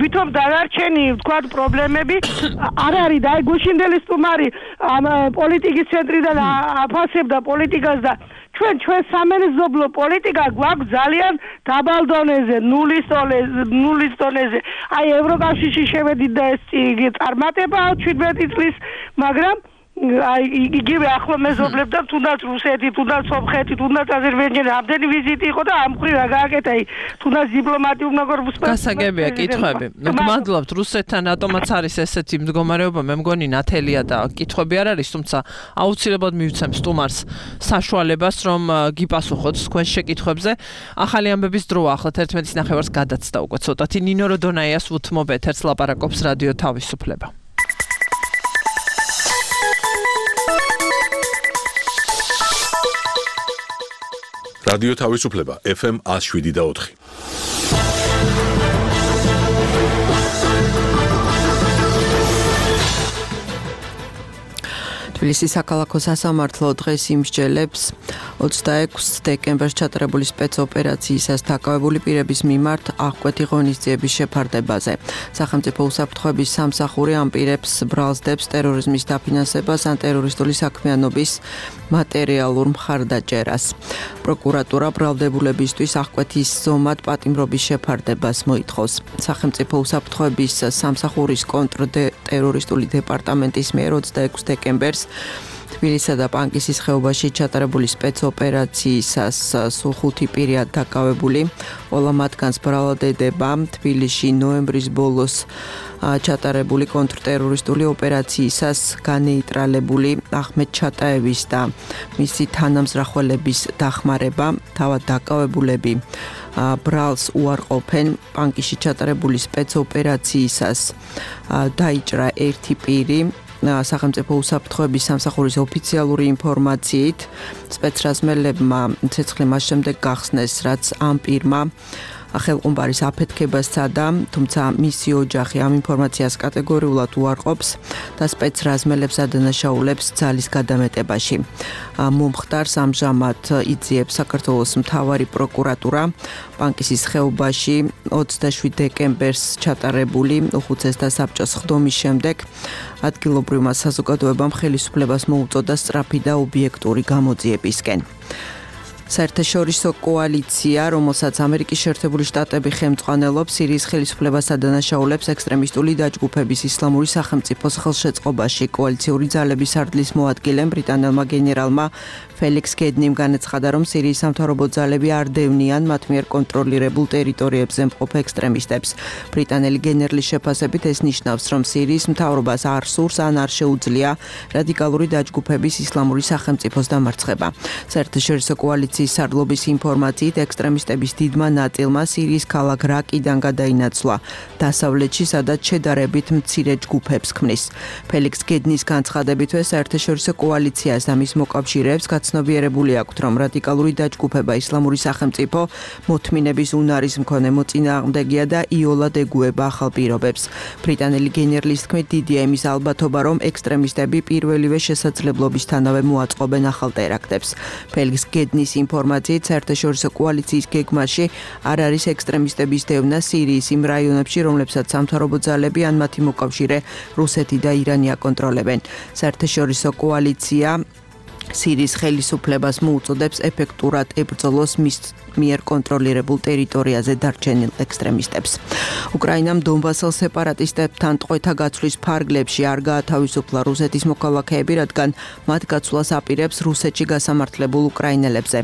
Speaker 10: ვითომ დანარჩენი თქვათ პრობლემები არ არის და აი გუშინდელი სტუმარი ამ პოლიტიკის ცენტრიდან აფასებდა პოლიტიკას და ჩვენ სამეზობლო პოლიტიკა გვაქვს ძალიან დაბალ დონეზე, ნულის დონეზე. აი ევროკავშირში შევედით და ეს წარმატებაა 17 წლის, მაგრამ აი იგივე ახლო მეზობლებთან თუნდაც რუსეთი, თუნდაც სომხეთი, თუნდაც აზერბაიჯანი ამდენი ვიზიტი იყო და ამ მხრივ რა გააკეთა, თუნდაც დიპლომატიურ ნაგორბუსპა.
Speaker 2: გასაგებია კითხვები. მადლობთ რუსეთთან რატომაც არის ესეთი მდგომარეობა, მე მგონი ნათელია და კითხვები არ არის, თუმცა აუცილებლად მივცემ სტუმარს საშუალებას რომ გიპასუხოთ თქვენ შეკითხვებზე. ახალი ამბების დროა, ახლა 11:09 გადაცდა უკვე ცოტათი. ნინო როდონაიას უთმობ ეთერს ლაპარაკობს რადიო თავისუფლება.
Speaker 1: რადიო თავისუფლება FM 107.4.
Speaker 11: თბილისის საქალაქო სასამართლო დღეს იმსჯელებს 26 დეკემბერს ჩატარებული სპეცოპერაციისას დაკავებული პირების მიმართ აღკვეთი ღონისძიების შეფარდებაზე. სახელმწიფო უსაფრთხოების სამსახური ამ პირებს ბრალსდებს ტერორიზმის დაფინანსებას ან ტერორისტული საქმიანობის მატერიალურ მხარდაჭერას. პროკურატურა ბრალდებულებისთვის აღკვეთის ზომად პატიმრობის შეფარდებას მოითხოვს. სახელმწიფო უსაფრთხოების სამსახურის კონტრტერორისტული დეპარტამენტის მიერ 26 დეკემბერს თბილისსა და პანკისის ხეობაში ჩატარებული სპეცოპერაციისას სულ 5 პირია დაკავებული. ყველა მათგანს ბრალად ედება თბილისში ნოემბრის ბოლოს ჩატარებული კონტრტერორისტული ოპერაციისას განეიტრალებული ახმედ ჩატაევის და მისი თანამზრახველების დახმარება. თავად დაკავებულები ბრალს უარყოფენ. პანკისში ჩატარებული სპეცოპერაციისას დაიჭრა 1 პირი. სახელმწიფო უსაფრთხოების სამსახურის ოფიციალური ინფორმაციით სპეცრაზმელებმა ცეცხლი მას შემდეგ გახსნეს, რაც ამ პირმა ხელყუმბარის აფეთქებას სცადა, თუმცა მისი ოჯახი ამ ინფორმაციას კატეგორიულად უარყოფს და სპეცრაზმელებს ადანაშაულებს ძალის გადამეტებაში. მომხდარს ამჟამად იძიებს საქართველოს მთავარი პროკურატურა. პანკისის ხეობაში 27 დეკემბერს ჩატარებული უხუცესთა საბჭოს ხდომის შემდეგ ადგილობრივმა საზოგადოებამ ხელისუფლებას მოუწოდა სწრაფი და ობიექტური გამოძიებისკენ. საერთაშორისო კოალიცია, რომელსაც ამერიკის შეერთებული შტატები ხელმძღვანელობს, სირიის ხელისუფლებას ადანაშაულებს ექსტრემისტული დაჯგუფების ისლამური სახელმწიფოს ხელშეწყობაში. კოალიციური ძალების სარდლის მოადგილემ ბრიტანელმა გენერალმა ფელიქს გედნიმ განაცხადა, რომ სირიის სამთავრობო ძალები არ დევნიან მათ მიერ კონტროლირებულ ტერიტორიებზე მყოფ ექსტრემისტებს. ბრიტანელი გენერლის შეფასებით ეს ნიშნავს, რომ სირიის მთავრობას არ სურს ან არ შეუძლია რადიკალური დაჯგუფების ისლამური სახელმწიფოს დამარცხება. საერთაშორისო კოალიციის სარდლობის ინფორმაციით ექსტრემისტების დიდმა ნაწილმა სირიის ქალაქ რაკიდან გადაინაცვლა დასავლეთში, სადაც შედარებით მცირე ჯგუფებს ქმნის. ფელიქს გედნის განცხადებითვე საერთაშორისო კოალიციას და მის მოკავშირეებს ცნობიერებული აქვთ, რომ რადიკალური დაჯგუფება ისლამური სახელმწიფო მოთმინების უნარის მქონე მოწინააღმდეგეა და იოლად ეგუება ახალ პირობებს. ბრიტანელი გენერლის თქმით, დიდია იმის ალბათობა, რომ ექსტრემისტები პირველივე შესაძლებლობისთანავე მოაწყობენ ახალ ტერაქტებს. ფელიქს გედნის ინფორმაციით საერთაშორისო კოალიციის გეგმაში არ არის ექსტრემისტების დევნა სირიის იმ რაიონებში, რომლებსაც სამთავრობო ძალები ან მათი მოკავშირე რუსეთი და ირანი აკონტროლებენ. საერთაშორისო კოალიცია სირიის ხელისუფლებას მოუწოდებს ეფექტურად ებრძოლოს მის მიერ კონტროლირებულ ტერიტორიაზე დარჩენილ ექსტრემისტებს. უკრაინამ დონბასელ სეპარატისტებთან ტყვეთა გაცვლის ფარგლებში არ გაათავისუფლა რუსეთის მოქალაქეები, რადგან მათ გაცვლას აპირებს რუსეთში გასამართლებულ უკრაინელებზე.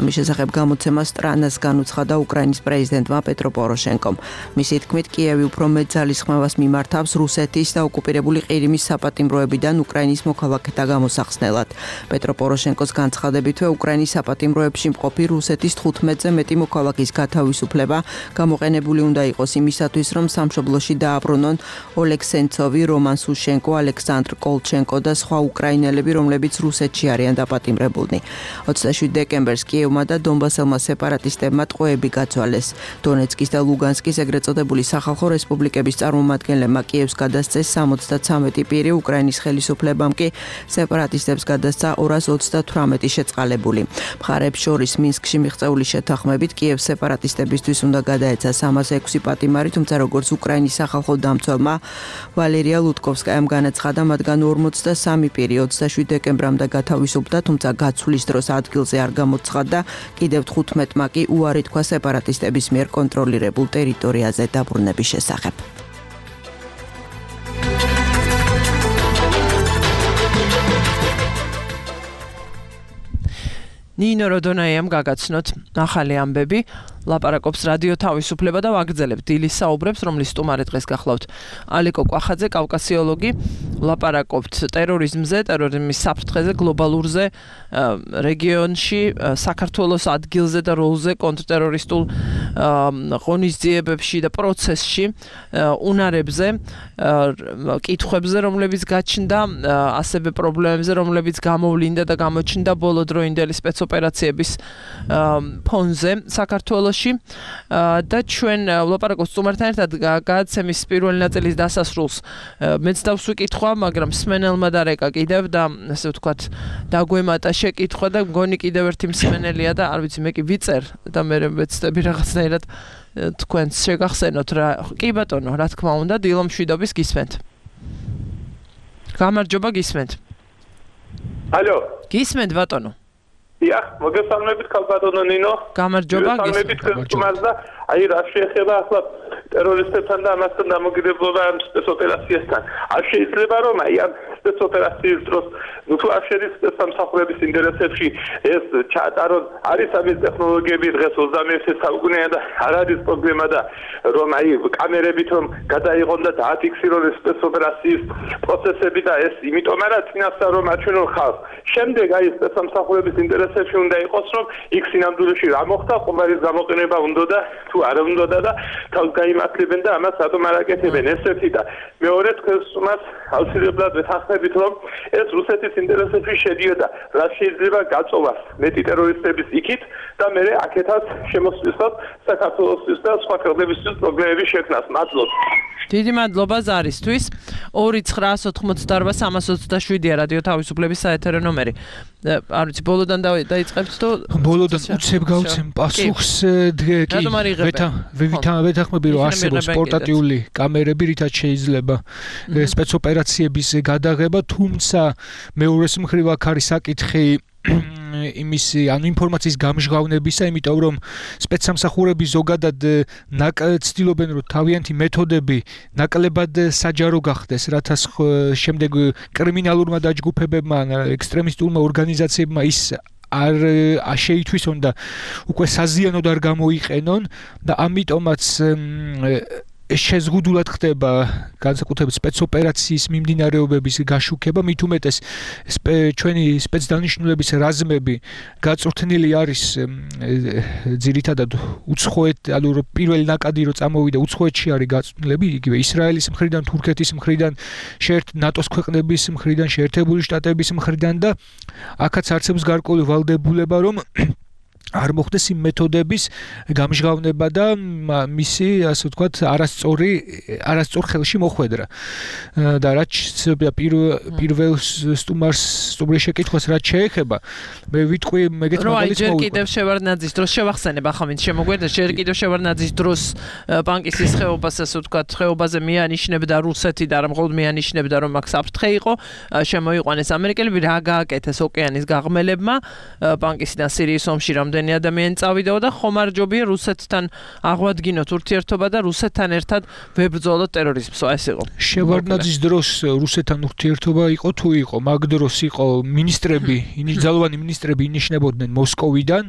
Speaker 11: ამის შესახებ გამოცემას სტრანას განუცხადა უკრაინის პრეზიდენტმა პეტრო პოროშენკომ. მისი თქმით, კიევი უფრო მეტ ძალისხმევას მიმართავს რუსეთის და ოკუპირებული ყირიმის საპატიმროებიდან უკრაინის მოქალაქეთა გამოსახსნელად. პეტრო პოროშენკოს განცხადებითვე უკრაინის საპატიმროებში მყოფი რუსეთის 15-ზე მეტი მოქალაქის გათავისუფლება გამოყენებული უნდა იყოს იმისათვის, რომ სამშობლოში დააბრუნონ ოლეგ სენცოვი, რომან სუშენკო, ალექსანდრ კოლჩენკო და სხვა უკრაინელები, რომლებიც რუსეთში არიან დაპატიმრებულნი. 27 დეკემბერს კიევმა და დონბასელმა სეპარატისტებმა ტყვეები გაცვალეს. დონეცკის და ლუგანსკის ეგრეთ წოდებული სახალხო რესპუბლიკების წარმომადგენლებმა კიევს გადასცეს 73 პირი, უკრაინის ხელისუფლებამ კი სეპარატისტებს გადასცა 228 შეწყალებული. მხარეებს შორის მინსკში მიღწეული შეთანხმებით კიევს სეპარატისტებისთვის უნდა გადაეცა 306 პატიმარი, თუმცა როგორც უკრაინის სახალხო დამცველმა ვალერია ლუტკოვსკაიამ განაცხადა, მათგან 43 პირი 27 დეკემბრამდე გათავისუფლდა, თუმცა გაცვლის დროს ადგილზე არ გამოცხადდა, კიდევ 15-მა კი უარი თქვა სეპარატისტების მიერ კონტროლირებულ ტერიტორიაზე დაბრუნების შესახებ.
Speaker 2: ნინო როდონაიამ გაგაცნოთ ახალი ამბები, ლაპარაკობს რადიო თავისუფლება და ვაგრძელებთ დილის საუბრებს, რომლის სტუმარი დღეს გახლავთ ალეკო კვახაძე, კავკასიოლოგი, ლაპარაკობთ ტერორიზმზე, ტერორიზმის საფრთხეზე, გლობალურზე, რეგიონში, საქართველოს ადგილზე და როლზე კონტრტერორისტულ ღონისძიებებში და პროცესში, უნარებზე, კითხვებზე, რომლებიც გაჩნდა, ასევე პრობლემებზე, რომლებიც გამოვლინდა და გამოჩნდა ბოლოდროინდელი სპეცოპერაციების ფონზე საქართველოში და ჩვენ ლაპარაკობთ სტუმართან ერთად გადაცემის პირველი ნაწილის დასასრულს მეც დავსვი კითხვა, მაგრამ მსმენელმა დარეკა კიდევ და ასე ვთქვათ დაგვემატა შეკითხვა და მგონი კიდევ ერთი მსმენელია და არ ვიცი მე კი ვიწერ და მე ვეცდები რაღაცნაირად თქვენს შეგახსენოთ რა. კი ბატონო, რა თქმა უნდა, დილო მშვიდობის გისმენთ. გამარჯობა, გისმენთ.
Speaker 12: ალო.
Speaker 2: გისმენთ ბატონო.
Speaker 12: დიახ, მოგესალმებით ქალბატონო ნინო.
Speaker 2: გამარჯობა,
Speaker 12: გისმენთ. აი რა შეეხება ახლა ტერორისტებთან და ამასთან დამოკიდებულება ამ სპეცოპერაციასთან. არ შეიძლება რომ აი ამ სპეცოპერაციის დროს თუ არ შედის სამსახურების ინტერესებში ეს ჩაატარონ, არის ამის ტექნოლოგიები დღეს 21 საუკუნეა და არ არის პრობლემა და რომ აი კამერებით რომ გადაიღონ და დააფიქსირონ სპეცოპერაციის პროცესები და ეს იმიტომ არა წინასწარ რომ აჩვენონ ხალხს. შემდეგ აი სამსახურების ინტერესებში უნდა იყოს რომ იქ სინამდვილეში რა მოხდა, ყუმარის გამოყენება უნდა და თუ არ უნდა და თავს გაიმართლებენ და ამას რატომ არ აკეთებენ, ეს ერთი და მეორე თქვენს უმას აუცილებლად ვეთანხმებით რომ ეს რუსეთის ინტერესებში შედიოდა, რა შეიძლება გაწოვას მეტი ტერორისტების იქით და მე აქეთაც შემოსვლისას საქართველოსთვის და სხვა ქვეყნებისთვის პრობლემები შექმნას. მადლობ.
Speaker 2: დიდი მადლობა ზარისთვის. 2988327-ია რადიო თავისუფლების საეთერო ნომერი. არ ვიცი, ბოლოდან დაიწყებთ თუ
Speaker 9: ბოლოდან უცებ გავცემ პასუხს ვეთანხმები რომ არსებობს პორტატიული კამერები, რითაც შეიძლება სპეცოპერაციების გადაღება, თუმცა მეორეს მხრივ აქ არის საკითხი იმის ანუ ინფორმაციის გამჟღავნებისა, იმიტომ რომ სპეცსამსახურები ზოგადად ცდილობენ რომ თავიანთი მეთოდები ნაკლებად საჯარო გახდეს, რათა შემდეგ კრიმინალურმა დაჯგუფებებმა, ექსტრემისტულმა ორგანიზაციებმა ის არ შეითვისონ და უკვე საზიანოდ არ გამოიყენონ და ამიტომაც შეზღუდულად ხდება განსაკუთრებით სპეცოპერაციის მიმდინარეობების გაშუქება, მით უმეტეს ჩვენი სპეცდანიშნულების რაზმები გაწვრთნილი არის ძირითადად უცხოეთ, ანუ პირველი ნაკადი რო წამოვიდა უცხოეთში არის გაწვრთნილები, იგივე ისრაელის მხრიდან, თურქეთის მხრიდან, ნატოს ქვეყნების მხრიდან, შეერთებული შტატების მხრიდან და აქაც არსებობს გარკვეული ვალდებულება, რომ არ მოხდეს იმ მეთოდების გამჟღავნება და მისი ასე ვთქვათ არასწორ ხელში მოხვედრა და რაც პირველ სტუმრის შეკითხვას რაც შეეხება მე ვიტყვი მეგეთ მაგალითს
Speaker 2: ჯერ კიდევ შევარდნაძის დროს შევახსენებ ახლა ვინც შემოგვერდა ჯერ კიდევ შევარდნაძის დროს პანკისის ხეობას ასე ვთქვათ ხეობაზე მიანიშნებდა რუსეთი და რა მხოლოდ მიანიშნებდა რომ აქ საფრთხე იყო შემოიყვანეს ამერიკელები რა გააკეთეს ოკეანის გაღმელებმა პანკისიდან სირიის ომში რამდენი ადამიანი წავიდა და ხომარჯობია რუსეთთან აღვადგინოთ ურთიერთობა და რუსეთთან ერთად ვებრძოლოთ ტერორიზმს. ეს იყო.
Speaker 9: შევარდნაძის დროს რუსეთთან ურთიერთობა იყო თუ იყო, მაგ დროს იყო მინისტრები, ძალოვანი მინისტრები ინიშნებოდნენ მოსკოვიდან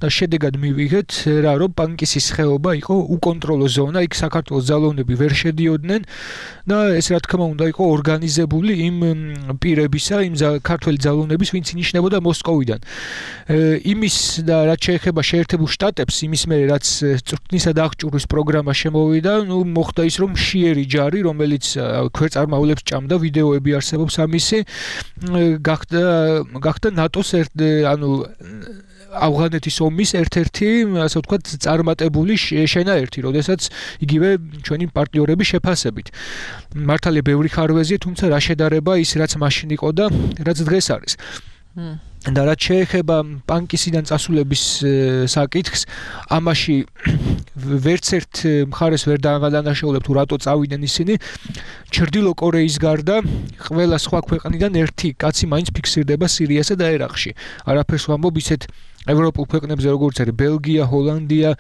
Speaker 9: და შედეგად მივიღეთ რა რომ პანკისის ხეობა იყო უკონტროლო ზონა, იქ საქართველოს ძალოვნები ვერ შედიოდნენ და ეს რა თქმა უნდა იყო ორგანიზებული იმ პირებისა, იმ ქართველი ძალოვნების, ვინც ინიშნებოდა მოსკოვიდან. იმის და რაც შეეხება შეერთებულ შტატებს, იმის მერე რაც წვრთნისა და აღჭურვის პროგრამა შემოვიდა, მოხდა ის რომ მშიერი ჯარი, რომელიც ქვეწარმავლებს ჭამდა, ვიდეოები არსებობს ამისი, გახდა ნატოს ავღანეთის ომის ერთ-ერთი, ასე ვთქვათ, წარმატებული შენაერთი, როდესაც იგივე ჩვენი პარტნიორების შეფასებით. მართალია ბევრი ხარვეზია, თუმცა რა შედარება ის რაც მაშინ იყო და რაც დღეს არის. და რაც შეეხება პანკისიდან წასულების საკითხს, ამაში ვერც ერთ მხარეს ვერ დავადანაშაულებთ თუ რატო წავიდნენ ისინი. ჩრდილო კორეის გარდა ყველა სხვა ქვეყნიდან ერთი კაცი მაინც ფიქსირდება სირიასა და ერაყში. არაფერს ვამბობ ისეთ ევროპულ ქვეყნებზე როგორც არის ბელგია, ჰოლანდია,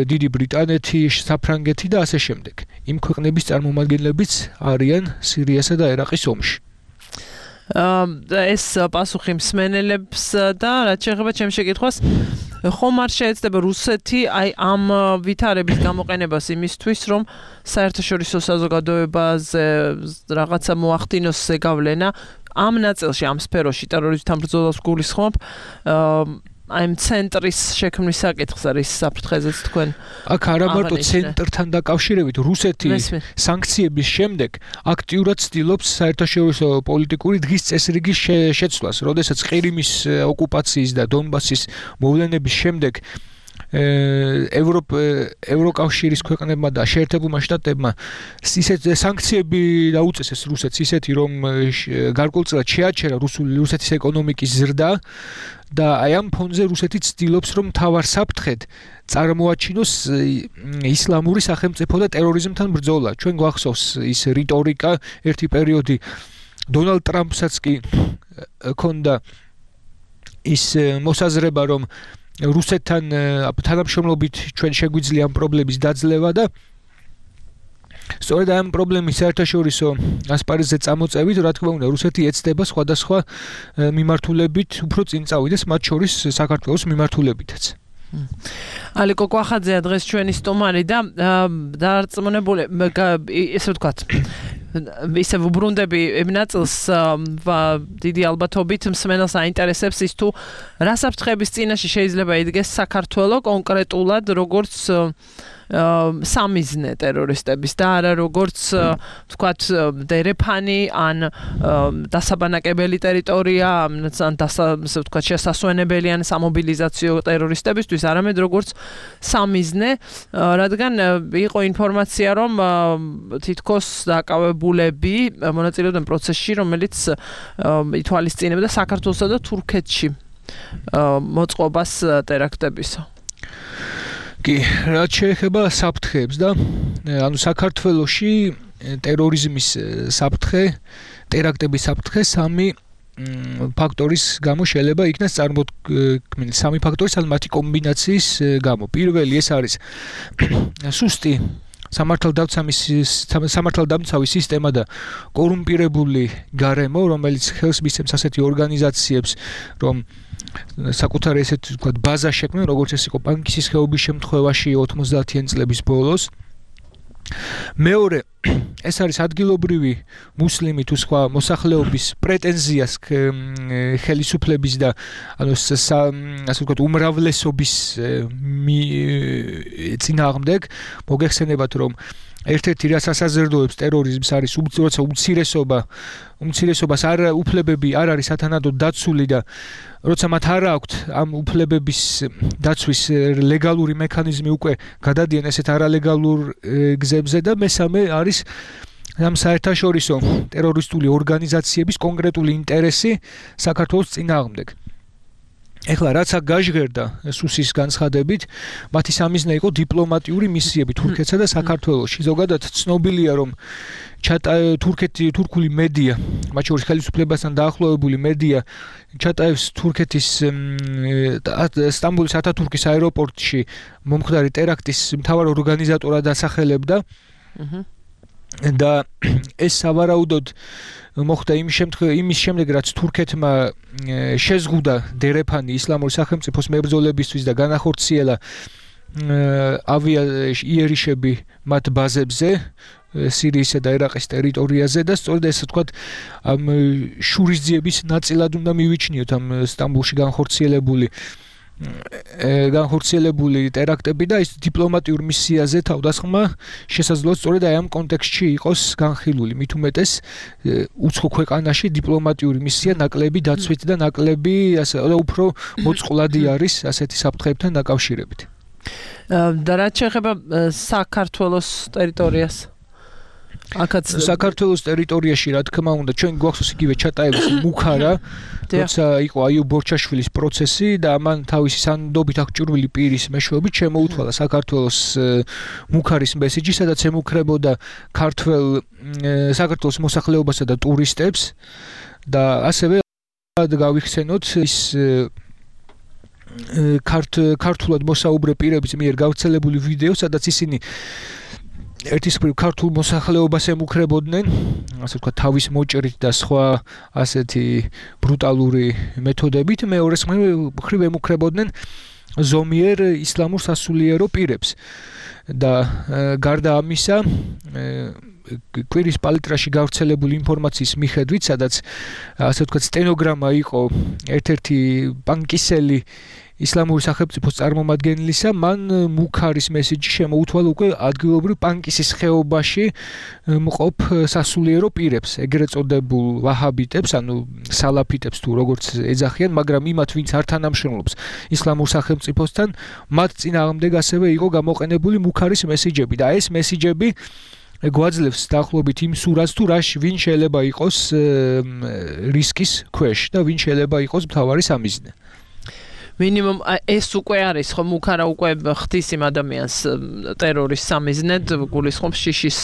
Speaker 9: დიდი ბრიტანეთი, საფრანგეთი და ასე შემდეგ. იმ ქვეყნების წარმომადგენლებიც არიან სირიასა და ერაყის ომში.
Speaker 2: ეს პასუხი მსმენელებს და რაც შეეხება ჩემს შეკითხვას ხომ არ შეეცდება რუსეთი აი ამ ვითარების გამოყენებას იმისთვის რომ საერთაშორისო საზოგადოებაზე რაღაცა მოახდინოს ზეგავლენა ამ ნაწილში ამ სფეროში ტერორიზმთან ბრძოლას გულისხმობ აი ცენტრის შექმნის საკითხს არის საფრთხეზეც თქვენ
Speaker 9: აქ არა მარტო ცენტრთან დაკავშირებით რუსეთი სანქციების შემდეგ აქტიურად ცდილობს საერთაშორისო პოლიტიკური დღის წესრიგის შეცვლას, როდესაც ყირიმის ოკუპაციის და დონბასის მოვლენების შემდეგ ევროკავშირის ქვეყნებმა და შეერთებულმა შტატებმა ისეთ სანქციები დაუწესეს რუსეთს ისეთი რომ გარკვეულწილად შეაჩერა რუსეთის ეკონომიკის ზრდა და აი ამ ფონზე რუსეთი ცდილობს რომ თავარ საფრთხედ წარმოაჩინოს ისლამური სახელმწიფო და ტერორიზმთან ბრძოლა. ჩვენ გვახსოვს ის რიტორიკა ერთი პერიოდი დონალდ ტრამპსაც კი ჰქონდა ის მოსაზრება რომ რუსეთთან თანამშრომლობით ჩვენ შეგვიძლია ამ პრობლემის დაძლევა და სწორედ ამ პრობლემის საერთაშორისო ასპარეზზე წამოწევით, რა თქმა უნდა, რუსეთი ეცდება სხვადასხვა მიმართულებით უფრო წინ წავიდეს, მათ შორის საქართველოს მიმართულებითაც.
Speaker 2: ალიკო კვახაძეა დღეს ჩვენი სტუმარი და დარწმუნებული ესე ვთქვათ ისე ვუბრუნდები იმ ნაწილს დიდი ალბათობით მსმენელს აინტერესებს ის თუ რა საფრთხების წინაშე შეიძლება იდგეს საქართველო კონკრეტულად როგორც სამიზნე ტერორისტების და არა როგორც ვთქვათ დერეფანი ან დასაბანაკებელი ტერიტორია ან ვთქვათ შესასვენებელი ან სამობილიზაციო ტერორისტებისთვის არამედ როგორც სამიზნე რადგან იყო ინფორმაცია რომ თითქოს დაკავებულები მონაწილეობდნენ პროცესში რომელიც ითვალისწინებდა საქართველოსა და თურქეთში მოწყობას ტერაქტებისა.
Speaker 9: კი, რაც შეეხება საფრთხეებს და ანუ საქართველოში ტერორიზმის საფრთხე, ტერაქტების საფრთხე სამი ფაქტორის გამო შეიძლება იქნას წარმოქმნილი. სამი ფაქტორის ან მათი კომბინაციის გამო. პირველი ეს არის სუსტი სამართალდამცავი სისტემა და კორუმპირებული გარემო, რომელიც ხელს მისცემს ასეთი ორგანიზაციებს, რომ საკუთარი ესეთ ვთქვათ ბაზა შექმნან, როგორც ეს იყო პანკისის ხეობის შემთხვევაში 90-იან წლების ბოლოს. მეორე ეს არის ადგილობრივი მუსლიმი თუ სხვა მოსახლეობის პრეტენზიას ხელისუფლების და ანუ ასე ვთქვათ უმრავლესობის წინააღმდეგ მოგეხსენებათ რომ ერთ-ერთი რაც ასაზრდოებს ტერორიზმს არის როცა უმცირესობა უმცირესობას უფლებები არ არის სათანადოდ დაცული და როცა მათ არ აქვთ ამ უფლებების დაცვის ლეგალური მექანიზმი უკვე გადადიან ესეთ არალეგალურ გზებზე და მესამე არის ამ საერთაშორისო ტერორისტული ორგანიზაციების კონკრეტული ინტერესი საქართველოს წინააღმდეგ. ეხლა რაც აქ გაჟღერდა სუსის განცხადებით, მათი სამიზნე იყო დიპლომატიური მისიები თურქეთსა და საქართველოში. ზოგადად ცნობილია, რომ თურქული მედია, მათ შორის ხელისუფლებასთან დაახლოებული მედია, ჩატაევს თურქეთის სტამბოლის ათათურქის აეროპორტში მომხდარი ტერაქტის მთავარ ორგანიზატორად ასახელებდა. და ეს სავარაუდოდ მოხდა იმის შემდეგ, რაც თურქეთმა შეზღუდა დერეფანი ისლამური სახელმწიფოს მებრძოლებისთვის და განახორციელა იერიშები მათ ბაზებზე სირიისა და ერაყის ტერიტორიაზე და სწორედ ესე ვთქვათ ამ შურისძიების ნაწილად უნდა მივიჩნიოთ ამ სტამბოლში განხორციელებული ტერაქტები და ის დიპლომატიურ მისიაზე თავდასხმა შესაძლოა სწორედ აი ამ კონტექსტში იყოს განხილული. მით უმეტეს უცხო ქვეყანაში დიპლომატიური მისია ნაკლები დაცვით და ნაკლები ასე უფრო მოწყვლადი არის ასეთი საფრთხეებთან დაკავშირებით.
Speaker 2: და რაც შეეხება საქართველოს ტერიტორიას აქაც
Speaker 9: საქართველოს ტერიტორიაში რა თქმა უნდა ჩვენ გვახსოვს იგივე ჩატაევის მუქარა როცა იყო აიუბ ბორჩაშვილის პროცესი და მან თავისი სანდობით აღჭურვილი პირის მეშვეობით შემოუთვალა საქართველოს მუქარის მესიჯი სადაც ემუქრებოდა საქართველოს მოსახლეობასა და ტურისტებს და ასევე გავიხსენოთ ის ქართულად მოსაუბრე პირების მიერ გავრცელებული ვიდეო სადაც ისინი ერთის მხრივ ქართულ მოსახლეობას ემუქრებოდნენ, ასე ვთქვათ, თავის მოჭრით და სხვა ასეთი ბრუტალური მეთოდებით, მეორეს მხრივ ემუქრებოდნენ ზომიერ ისლამურ სასულიერო პირებს. და გარდა ამისა, კვირის პალიტრაში გავრცელებული ინფორმაციის მიხედვით, სადაც ასე ვთქვათ, სტენოგრამა იყო ერთ-ერთი პანკისელი ისლამური სახელმწიფოს წარმომადგენლისა, მან მუქარის მესიჯი შემოუთვალა უკვე ადგილობრივ პანკისის ხეობაში მყოფ სასულიერო პირებს, ეგრეთ წოდებულ ვაჰაბიტებს, ანუ სალაფიტებს თუ როგორც ეძახიან, მაგრამ იმათ, ვინც არ თანამშრომლობს ისლამურ სახელმწიფოსთან, მათ წინააღმდეგ ასევე იყო გამოყენებული მუქარის მესიჯები და ეს მესიჯები გვაძლევს დაახლოებით იმ სურათს, თუ ვინ შეიძლება იყოს რისკის ქვეშ და ვინ შეიძლება იყოს მთავარი სამიზნე.
Speaker 2: მინიმუმ ეს უკვე არის ხო მუქარა უკვე ხდის იმ ადამიანს ტერორის სამიზნედ გულისხმობს შიშის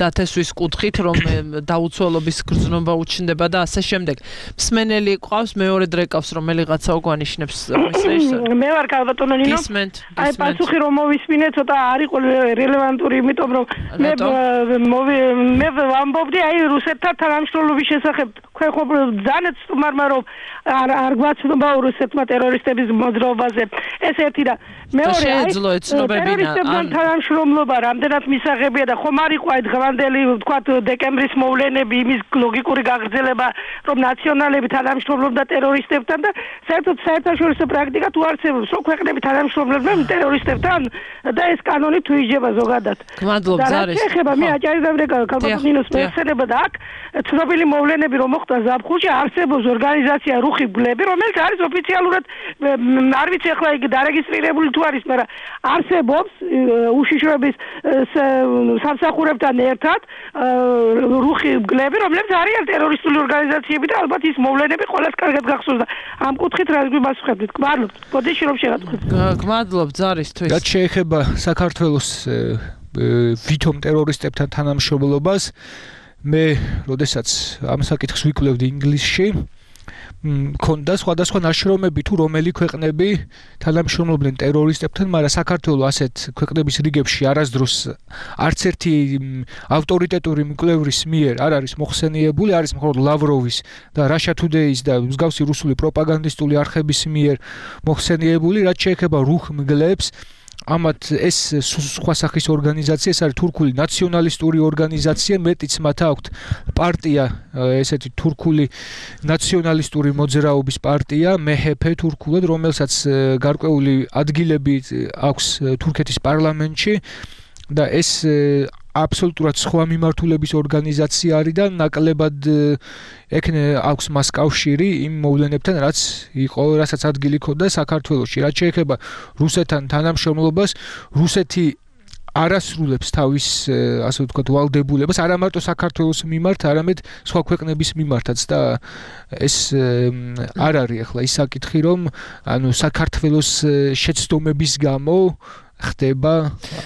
Speaker 2: დათესვის კუთხით რომ დაუცველობის გრძნობა უჩნდება და ასე შემდეგ. მსმენელი ყავს მეორე დრეკავს რომელიღაცა უგვანიშნებს მის რეჟისორს.
Speaker 10: მე ვარ ქალბატონო ნინო. აი პასუხი რომ მოვისმინე ცოტა არ იყო რელევანტური იმიტომ რომ მე ვამბობდი აი რუსეთთან თანამშრომლობის შესახებ ხო ძალიან სტუმარმა რომ არ გვაცნობა რუსეთმა ტერორისტების მოძრაობაზე ეს ერთი და მეორე ტერორისტებთან თანამშრომლობა რამდენად მისაღებია და ხომ არ იყო აი დღევანდელი ვთქვათ დეკემბრის მოვლენები იმის ლოგიკური გაგრძელება რომ ნაციონალები თანამშრომლობდა ტერორისტებთან და საერთოდ საერთაშორისო პრაქტიკა თუ არსებობს რომ ქვეყნები თანამშრომლობდნენ ტერორისტებთან და ეს კანონი თუ იჯება ზოგადად.
Speaker 2: გმადლობთ ზარის.
Speaker 10: ეხება მე აჭარისდავრე ქალბატონინოს მეცედება და აქ ცნობილი მოვლენები რომ მოხდა ზაფხულში არსებობს ორგანიზაცია რუხი გლები რომელიც არის ოფიციალურად არ ვიცი ახლა იგი დარეგისტრირებული თუ არის, მაგრამ არსებობს უშიშროების სამსახურებთან ერთად რუხი გლები, რომლებიც არიან ტერორისტული ორგანიზაციები და ალბათ ის მოვლენები ყველას კარგად გახსოვს და ამ კუთხით რა გვიმასუხებთ? გმადლობთ. გოდეში რომ შეგატყობთ.
Speaker 2: გმადლობთ ზარისთვის.
Speaker 9: რაც შეეხება საქართველოს ვითომ ტერორისტებთან თანამშრომლობას, მე როდესაც ამ საკითხს ვიკვლევდი ინგლისში მქონდა სხვადასხვა ნაშრომები თუ რომელი ქვეყნები თანამშრომლობდნენ ტერორისტებთან, მაგრამ საქართველოს ასეთ ქვეყნების რიგებში არასდროს არც ერთი ავტორიტეტური მკვლევრის მიერ არ არის მოხსენიებული, არის მხოლოდ ლავროვის და Russia Today-ის და მსგავსი რუსული პროპაგანდისტული არხების მიერ მოხსენიებული, რაც შეეხება რუხ მგლებს. ამათ ეს სხვა სახის ორგანიზაცია, ეს არის თურქული ნაციონალისტური ორგანიზაცია, მეტიც მათ აქვთ პარტია, ესეთი თურქული ნაციონალისტური მოძრაობის პარტია, მეჰეფე თურქულად, რომელსაც გარკვეული ადგილები აქვს თურქეთის პარლამენტში და ეს აბსოლუტურად სხვა მიმართულების ორგანიზაცია არის და ნაკლებად აქვს მას კავშირი იმ მოვლენებთან, რასაც ადგილი ჰქონდა საქართველოში. რაც შეეხება რუსეთთან თანამშრომლობას, რუსეთი არასრულებს თავის ასე ვთქვათ ვალდებულებას არა მარტო საქართველოს მიმართ, არამედ სხვა ქვეყნების მიმართაც და ეს არ არის ახლა ის საკითხი, რომ საქართველოს შეცდომების გამო ხდება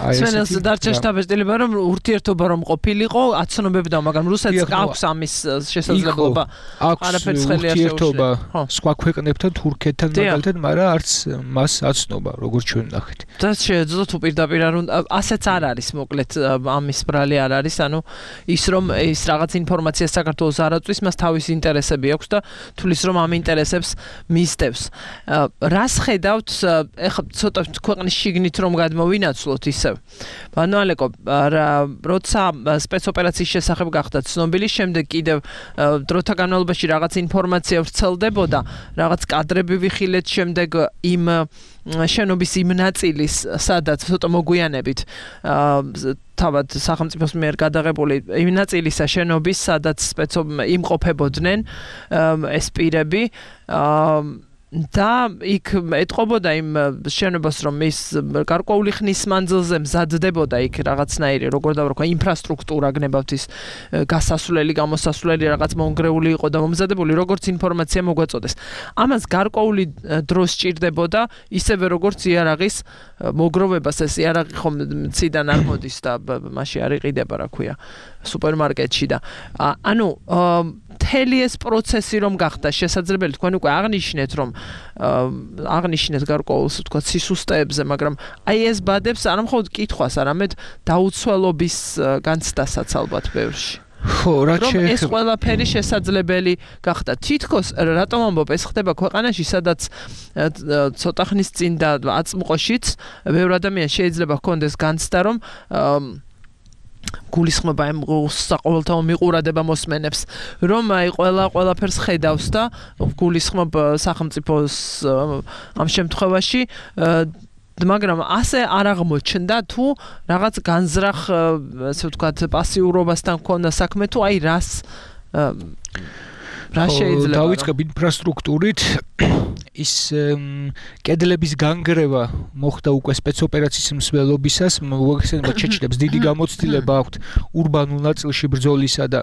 Speaker 2: აი ესეთი დარჩა შტაბ-ეტილება რომ ურთიერთობა რომ ყოფილიყო აცნობებდა მაგრამ რუსეთს აქვს ამის შესაძლებლობა არაფერს ხელი არ შეუშლება
Speaker 9: სხვა ქვეყნებთან თურქეთთან მაგალითად მაგრამ არც მას აცნობა როგორც ჩვენ ნახეთ
Speaker 2: და შეეძლო თუ პირდაპირ არ უნდა ასეც არ არის მოკლედ ამის ბრალი არ არის ანუ ის რომ ის რაღაც ინფორმაცია საქართველოს არ აწვის მას თავისი ინტერესები აქვს და თulis რომ ამ ინტერესებს მისდევს რას ხედავთ ეხლა ცოტა ქვეყნის შიგნით რომ მოვინაცვლოთ ისევ. ბანო ალეკო, როცა სპეცოპერაციის შესახებ გახდა ცნობილი, შემდეგ კიდევ დროთა განმავლობაში რაღაც ინფორმაცია ვრცელდებოდა, რაღაც კადრები ვიხილეთ შემდეგ იმ შენობის იმ ნაწილის, სადაც ცოტა მოგვიანებით თავად სახელმწიფოს მიერ გადაღებული იმ ნაწილისა შენობის, სადაც იმყოფებოდნენ ეს პირები და იქ ეტყობოდა იმ შენობას რომ ის გარკვეული ხნის მანძილზე მზადდებოდა იქ რაღაცნაირი როგორ დავარქვა ინფრასტრუქტურა გნებავთ ის გასასვლელი გამოსასვლელი რაღაც მონგრეული იყო და მომზადებული როგორც ინფორმაცია მოგვაწოდეს ამას გარკვეული დრო სჭირდებოდა ისევე როგორც იარაღის მოგროვებას ეს იარაღი ხომ ციდან არ მოდის და მასში არ იყიდება რა ქვია სუპერმარკეტში და ანუ მთელი ეს პროცესი რომ გახდა შესაძლებელი თქვენ უკვე აღნიშნეთ რომ აღნიშნეთ გარკვეულს თქვა სისუსტეებზე მაგრამ აი ეს ბადებს არა მხოლოდ კითხვას არამედ დაუცველობის განცდასაც ალბათ ბევრში
Speaker 9: ხო რაც
Speaker 2: შეეხება ეს ყველაფერი შესაძლებელი გახდა თითქოს რატომ ამბობ ეს ხდება ქვეყანაში სადაც ცოტა ხნის წინ და აწმყოშიც ბევრი ადამიანი შეიძლება ჰქონდეს განცდა რომ გულისხმობა იმ საყოველთაო მიყურადება მოსმენებს რომ აი ყველაფერს ხედავს და გულისხმობ სახელმწიფოს ამ შემთხვევაში მაგრამ ასე არ აღმოჩნდა თუ რაღაც განზრახ ასე ვთქვათ პასიურობასთან ქონდა საქმე თუ აი რა შეიძლება
Speaker 9: დავიწყებ ინფრასტრუქტურით ის კედლების განგრევა მოხდა უკვე სპეცოპერაციის მსვლელობისას მოიხსენება ჩეჩნებს დიდი გამოცდილება აქვთ ურბანულ ნაწილში ბრძოლისა და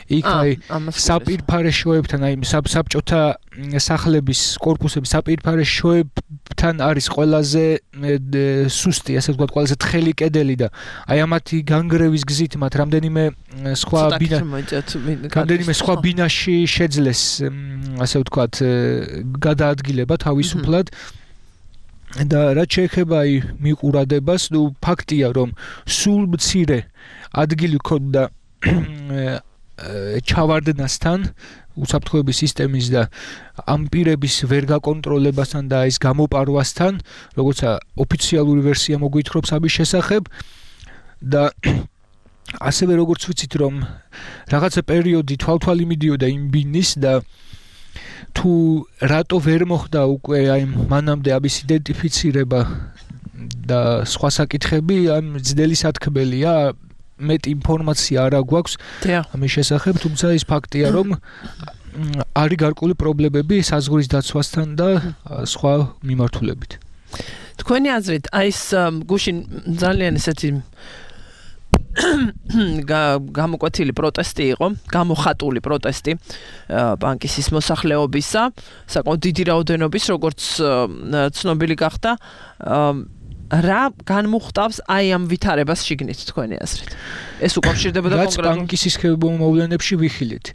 Speaker 9: იქ აი საპირფარეშოებთან აი საბჭოთა სახლების კორპუსების საპირფარეშოებთან არის ყველაზე სუსტი ასე ვთქვათ ყველაზე თხელი კედელი და აი ამათი განგრევის გზით მათ რამდენიმე სხვა ბინაში შეძლეს ასე ვთქვათ გადაადგილება თავისუფლად და რაც შეეხება აი მიყურადებას ნუ ფაქტია რომ სულ მცირე ადგილი ჰქონდა ჩავარდნასთან უსაფრთხოების სისტემის და ამ პირების ვერ გაკონტროლებასთან და ის გამოპარვასთან როგორც ოფიციალური ვერსია მოგვითხრობს ამის შესახებ და ასევე როგორც ვიცით რომ რაღაცა პერიოდი თვალთვალი მიდიოდა იმ ბინის და თუ რატო ვერ მოხდა უკვე აი მანამდე ამის იდენტიფიცირება და სხვა საკითხები ამ ძნელი სათქმელია მეტ ინფორმაცია არ აქვს ამის შესახებ თუმცა ის ფაქტია რომ არის გარკვეული პრობლემები საზღვრის დაცვასთან და სხვა მიმართულებით
Speaker 2: თქვენი აზრით აი ეს გუშინ ძალიან ესეთი გამოკვეთილი პროტესტი იყო, გამოხატული პროტესტი ბანკის მოსახლეობისა, საკმაოდ დიდი რაოდენობის, როგორც ცნობილი გახდა, რა განმუხტავს აი ამ ვითარებას შიგნით თქვენი აზრით? ეს უკავშირდებოდა კონკრეტულად
Speaker 9: ბანკის მოვლენებში ვიხილეთ.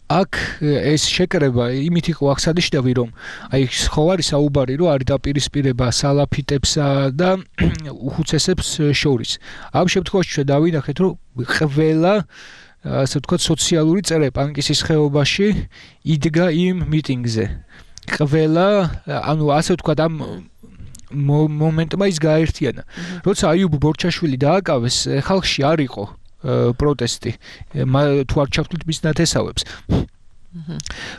Speaker 9: აქ ეს შეკრება იმით იყო აღსანიშნავი რომ აი ხო არის საუბარი რომ არის დაპირისპირება სალაფიტებსა და უხუცესებს შორის. ამ შემთხვევაში ჩვენ დავინახეთ რომ ყველა ასე ვთქვათ სოციალური წრე პანკისის ხეობაში იდგა იმ მიტინგზე. ყველა ანუ ასე ვთქვათ ამ მომენტმა ის გააერთიანა. როცა აიუბ ბორჩაშვილი დააკავეს ხალხში არ იყო პროტესტი თუ არ ჩავთვლით მის ნათესავებს.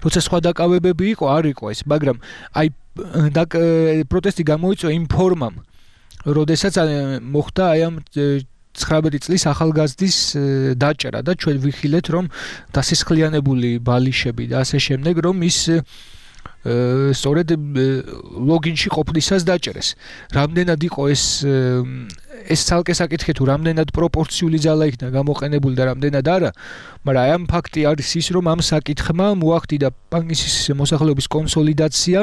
Speaker 9: როცა სხვა დაკავებები იყო, არ იყო ეს, მაგრამ აი პროტესტი გამოიწვია იმ ფორმამ, როდესაც მოხდა აი ამ 19 წლის ახალგაზრდის დაჭერა და ჩვენ ვიხილეთ რომ დასისხლიანებული ბალიშები და ასე შემდეგ რომ ის სწორედ ლოგინში ყოფნისას დაჭერეს. რამდენად იყო ეს ცალკე საკითხი თუ რამდენად პროპორციული ძალა იქნა გამოყენებული და რამდენად არა, მაგრამ აი ამ ფაქტი არის ის რომ ამ საკითხმა მოახდინა პანგისის მოსახლეობის კონსოლიდაცია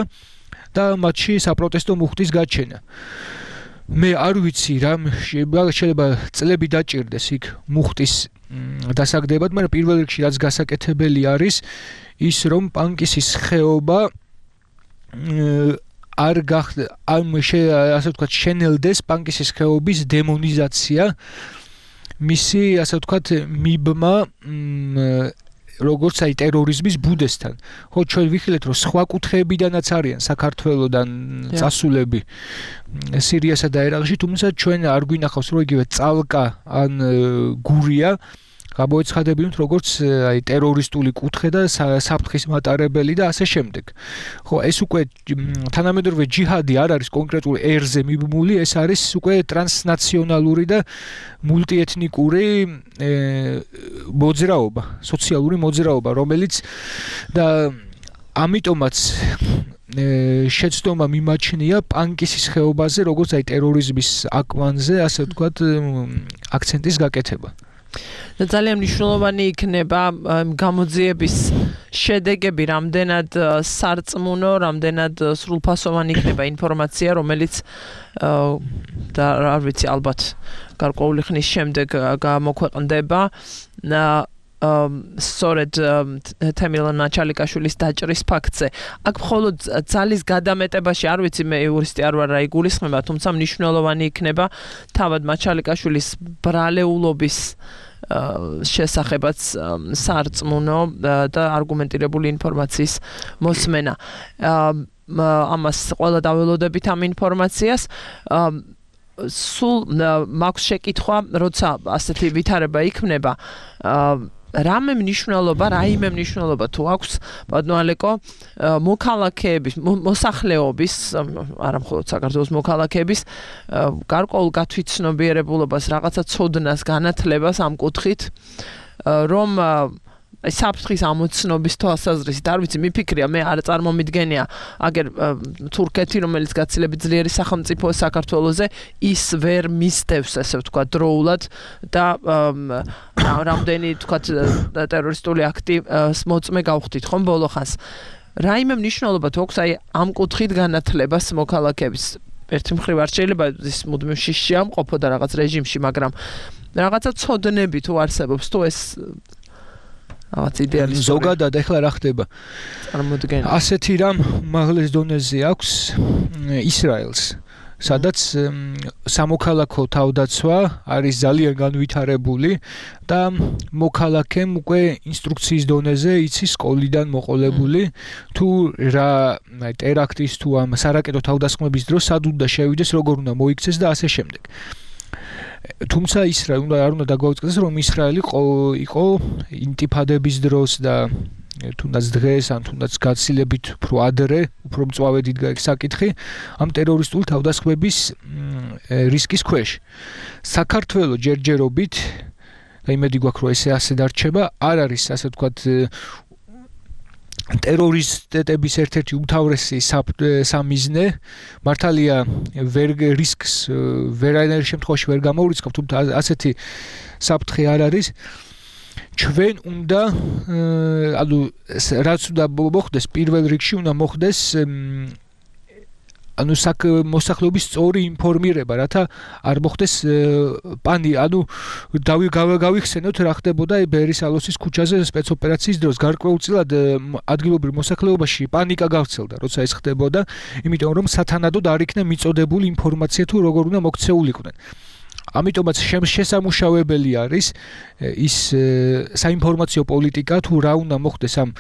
Speaker 9: და მათში საპროტესტო მუხტის გაჩენა. მე არ ვიცი რა შეიძლება წლები დაჭირდეს იქ მუხტის დასაგდებად, მაგრამ პირველ რიგში რაც გასაკეთებელი არის ის რომ პანკისის ხეობა არ ასე ვთქვათ შენელდეს პანკისის ხეობის დემონიზაცია მისი ასე ვთქვათ მიბმა როგორც აი ტერორიზმის ბუდესთან. ხო ჩვენ ვიხილეთ რომ სხვა კუთხეებიდანაც არიან საქართველოსდან წასულები სირიასა და ერაყში, თუმცა ჩვენ არ გვინახავს რომ იგივე წალკა ან გურია გამოეცხადებინოთ როგორც აი ტერორისტული კუთხე და საფრთხის მატარებელი და ასე შემდეგ. ხო ეს უკვე თანამედროვე ჯიჰადი არ არის კონკრეტულ ერზე მიბმული, ეს არის უკვე ტრანსნაციონალური და მულტიეთნიკური მოძრაობა, სოციალური მოძრაობა, რომელიც და ამიტომაც შეცდომა მიმაჩნია პანკისის ხეობაზე როგორც აი ტერორიზმის აკვანზე, ასე ვთქვათ, აქცენტის გაკეთება.
Speaker 2: და ძალიან მნიშვნელოვანი იქნება გამოძიების შედეგები, რამდენად სარწმუნო, რამდენად სრულფასოვანი იქნება ინფორმაცია, რომელიც და არ ვიცი, ალბათ გარკვეული ხნის შემდეგ გამოქვეყნდება სწორედ თემილონ მაჩალიკაშვილის დაჭრის ფაქტზე. აქ მხოლოდ ძალის გადამეტებაში არ ვიცი, მე იურისტი არ ვარ, რა იგულისხმება, თუმცა მნიშვნელოვანი იქნება თავად მაჩალიკაშვილის ბრალეულობის შესახებაც სარწმუნო და არგუმენტირებული ინფორმაციის მოსმენა. ამას ყველა დაველოდებით ამ ინფორმაციას. სულ მაქვს შეკითხვა, როცა ასეთი ვითარება იქნება, რამე მნიშვნელობა თუ აქვს ბატონალეკო მოქალაქეების მოსახლეობის არა მხოლოდ საქართველოს მოქალაქეების გარკვეულ გათვითცნობიერებულობას, რაღაცა ცოდნას, განათლებას ამ კუთხით, რომ საფრთხის ამოცნობის თვალსაზრისით, არ ვიცი, მიფიქრია, მე არ წარმომიდგენია, აგერ თურქეთი, რომელიც გაცილებით ძლიერი სახელმწიფოა საქართველოზე, ის ვერ მისდევს, ასე ვთქვათ, დროულად და რამდენი, ვთქვათ, ტერორისტული აქტი მოწმე გავხდით, ხომ ბოლო ხანს. რაიმე მნიშვნელობა თუ აქვს აი ამ კუთხით განათლებას მოქალაქეების. ერთი მხრივ არ შეიძლება ის მუდმივ შიშში ამყოფო და რაღაც რეჟიმში, მაგრამ რაღაცა ცოდნები თუ არსებობს, თუ ეს ზოგადად ეხლა რა ხდება? წარმოდგენა. ასეთი რამ უმაღლეს დონეზე აქვს ისრაელს, სადაც სამოქალაქო თავდაცვა არის ძალიან განვითარებული და მოქალაქემ უკვე ინსტრუქციის დონეზე იცის სკოლიდან მოყოლებული თუ რა ტერაქტის თუ ამ სარაკეტო თავდასხმების დროს სად უნდა შევიდეს, როგორ უნდა მოიქცეს და ასე შემდეგ. თუმცა ისრაელი არ უნდა დაგვაუწყდეს რომ ისრაელი იყო ინტიფადების დროს და თუნდაც დღეს ან თუნდაც გაცილებით უფრო ადრე უფრო მწვავე დიდგა იქ საკითხი ამ ტერორისტულ თავდასხმების რისკის ქვეშ. საქართველოს ჯერჯერობით და იმედი გვაქვს რომ ესე ასე დარჩება, არ არის ასე ვთქვათ ტერორისტების ერთ-ერთი უმთავრესი სამიზნე. მართალია რისკს ვერანაირ შემთხვევაში ვერ გამოვრიცხავთ, თუმცა ასეთი საფრთხე არ არის. ჩვენ უნდა ანუ რაც უნდა მოხდეს პირველ რიგში უნდა მოხდეს ანუ მოსახლეობის სწორი ინფორმირება, რათა არ მოხდეს ანუ გავიხსენოთ რა ხდებოდა ბერის ალოსის ქუჩაზე სპეცოპერაციის დროს. გარკვეულწილად ადგილობრივ მოსახლეობაში პანიკა გავრცელდა, როცა ეს ხდებოდა, იმიტომ რომ სათანადოდ არ იქნა მიწოდებული ინფორმაცია თუ როგორ უნდა მოქცეულიყვნენ. ამიტომაც შესამუშავებელი არის ის საინფორმაციო პოლიტიკა თუ რა უნდა მოხდეს ამ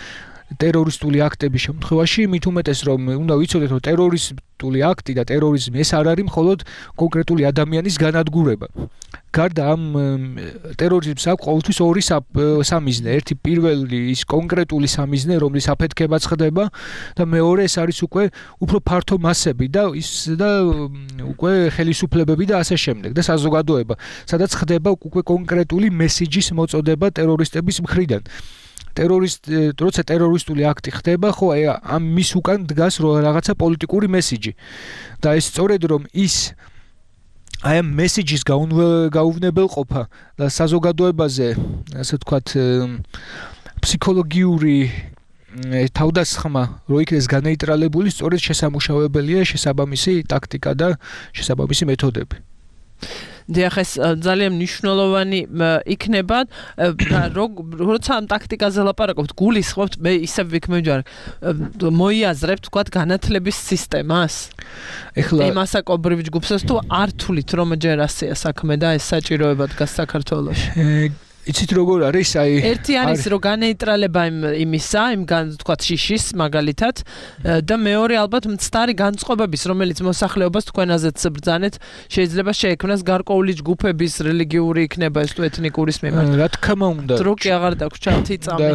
Speaker 9: ტერორისტული აქტების შემთხვევაში, მით უმეტეს რომ უნდა ვიცოდეთ, რომ ტერორისტული აქტი და ტერორიზმი ეს არ არის მხოლოდ კონკრეტული ადამიანის განადგურება. გარდა ამ ტერორიზმს აქვს ყოველთვის ორი სამიზნე. ერთი პირველი ის კონკრეტული სამიზნე, რომლის აფეთქებაც ხდება და მეორე ეს არის უკვე უფრო ფართო მასები და უკვე ხელისუფლებები და ასე შემდეგ და საზოგადოება, სადაც ხდება უკვე კონკრეტული მესიჯის მოწოდება ტერორისტების მხრიდან. როცა ტერორისტული აქტი ხდება, ხო, ამ მის უკან დგას რაღაცა პოლიტიკური მესიჯი. და ეს სწორედ რომ ის აი ამ მესიჯის გაუვნებელყოფა და საზოგადოებაზე, ასე ვთქვათ, ფსიქოლოგიური თავდასხმა რო იქნეს განეიტრალებული, სწორედ შესამუშავებელია შესაბამისი ტაქტიკა და შესაბამისი მეთოდები.
Speaker 2: დიახ, ეს ძალიან მნიშვნელოვანი იქნება, როცა ამ ტაქტიკაზე ლაპარაკობთ, გულისხმობთ, მე ისევ ვიქმეჯარ, მოიაზრებთ, თქვათ, განათლების სისტემას. ეხლა იმასაკობრივ ჯგუფს თუ არ თulit რომ ჯერ ასეა საქმე და ეს საჭიროება დგას საქართველოში.
Speaker 9: იცით როგორ არის,
Speaker 2: ერთი არის რომ განეიტრალება იმისა, თქვათ შიშის მაგალითად და მეორე ალბათ მცდარი განწყობების, რომელიც მოსახლეობას თქვენაზეც ბრძანეთ, შეიძლება შეექმნას გარკვეული ჯგუფების რელიგიური იქნება ეს თუ ეთნიკურის მიმართ.
Speaker 9: რა თქმა უნდა.
Speaker 2: დრო კი აღარ დაგვრჩათ იწამი.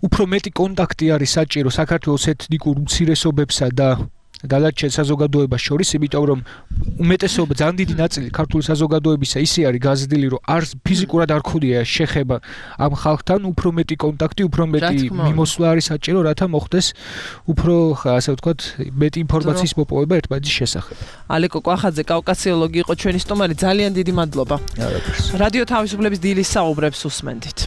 Speaker 9: უფრო მეტი კონტაქტი არის საჭირო საქართველოს ეთნიკურ უმცირესობებსა და დანარჩენ საზოგადოებას შორის, იმიტომ რომ უმეტესობა ძალიან დიდი ნაწილი ქართული საზოგადოებისა ისე არის გაზრდილი, რომ ფიზიკურად არ ქონია შეხება ამ ხალხთან, უფრო მეტი კონტაქტი, უფრო მეტი მიმოსვლა არის საჭირო, რათა მოხდეს უფრო, ასე ვთქვათ, მეტი ინფორმაციის მოპოვება ერთმანეთის შესახებ.
Speaker 2: ალეკო კვახაძე, კავკასიოლოგი იყო ჩვენი სტუმარი, ძალიან დიდი მადლობა. რადიო თავისუფლების დილის საუბრებს უსმენდით.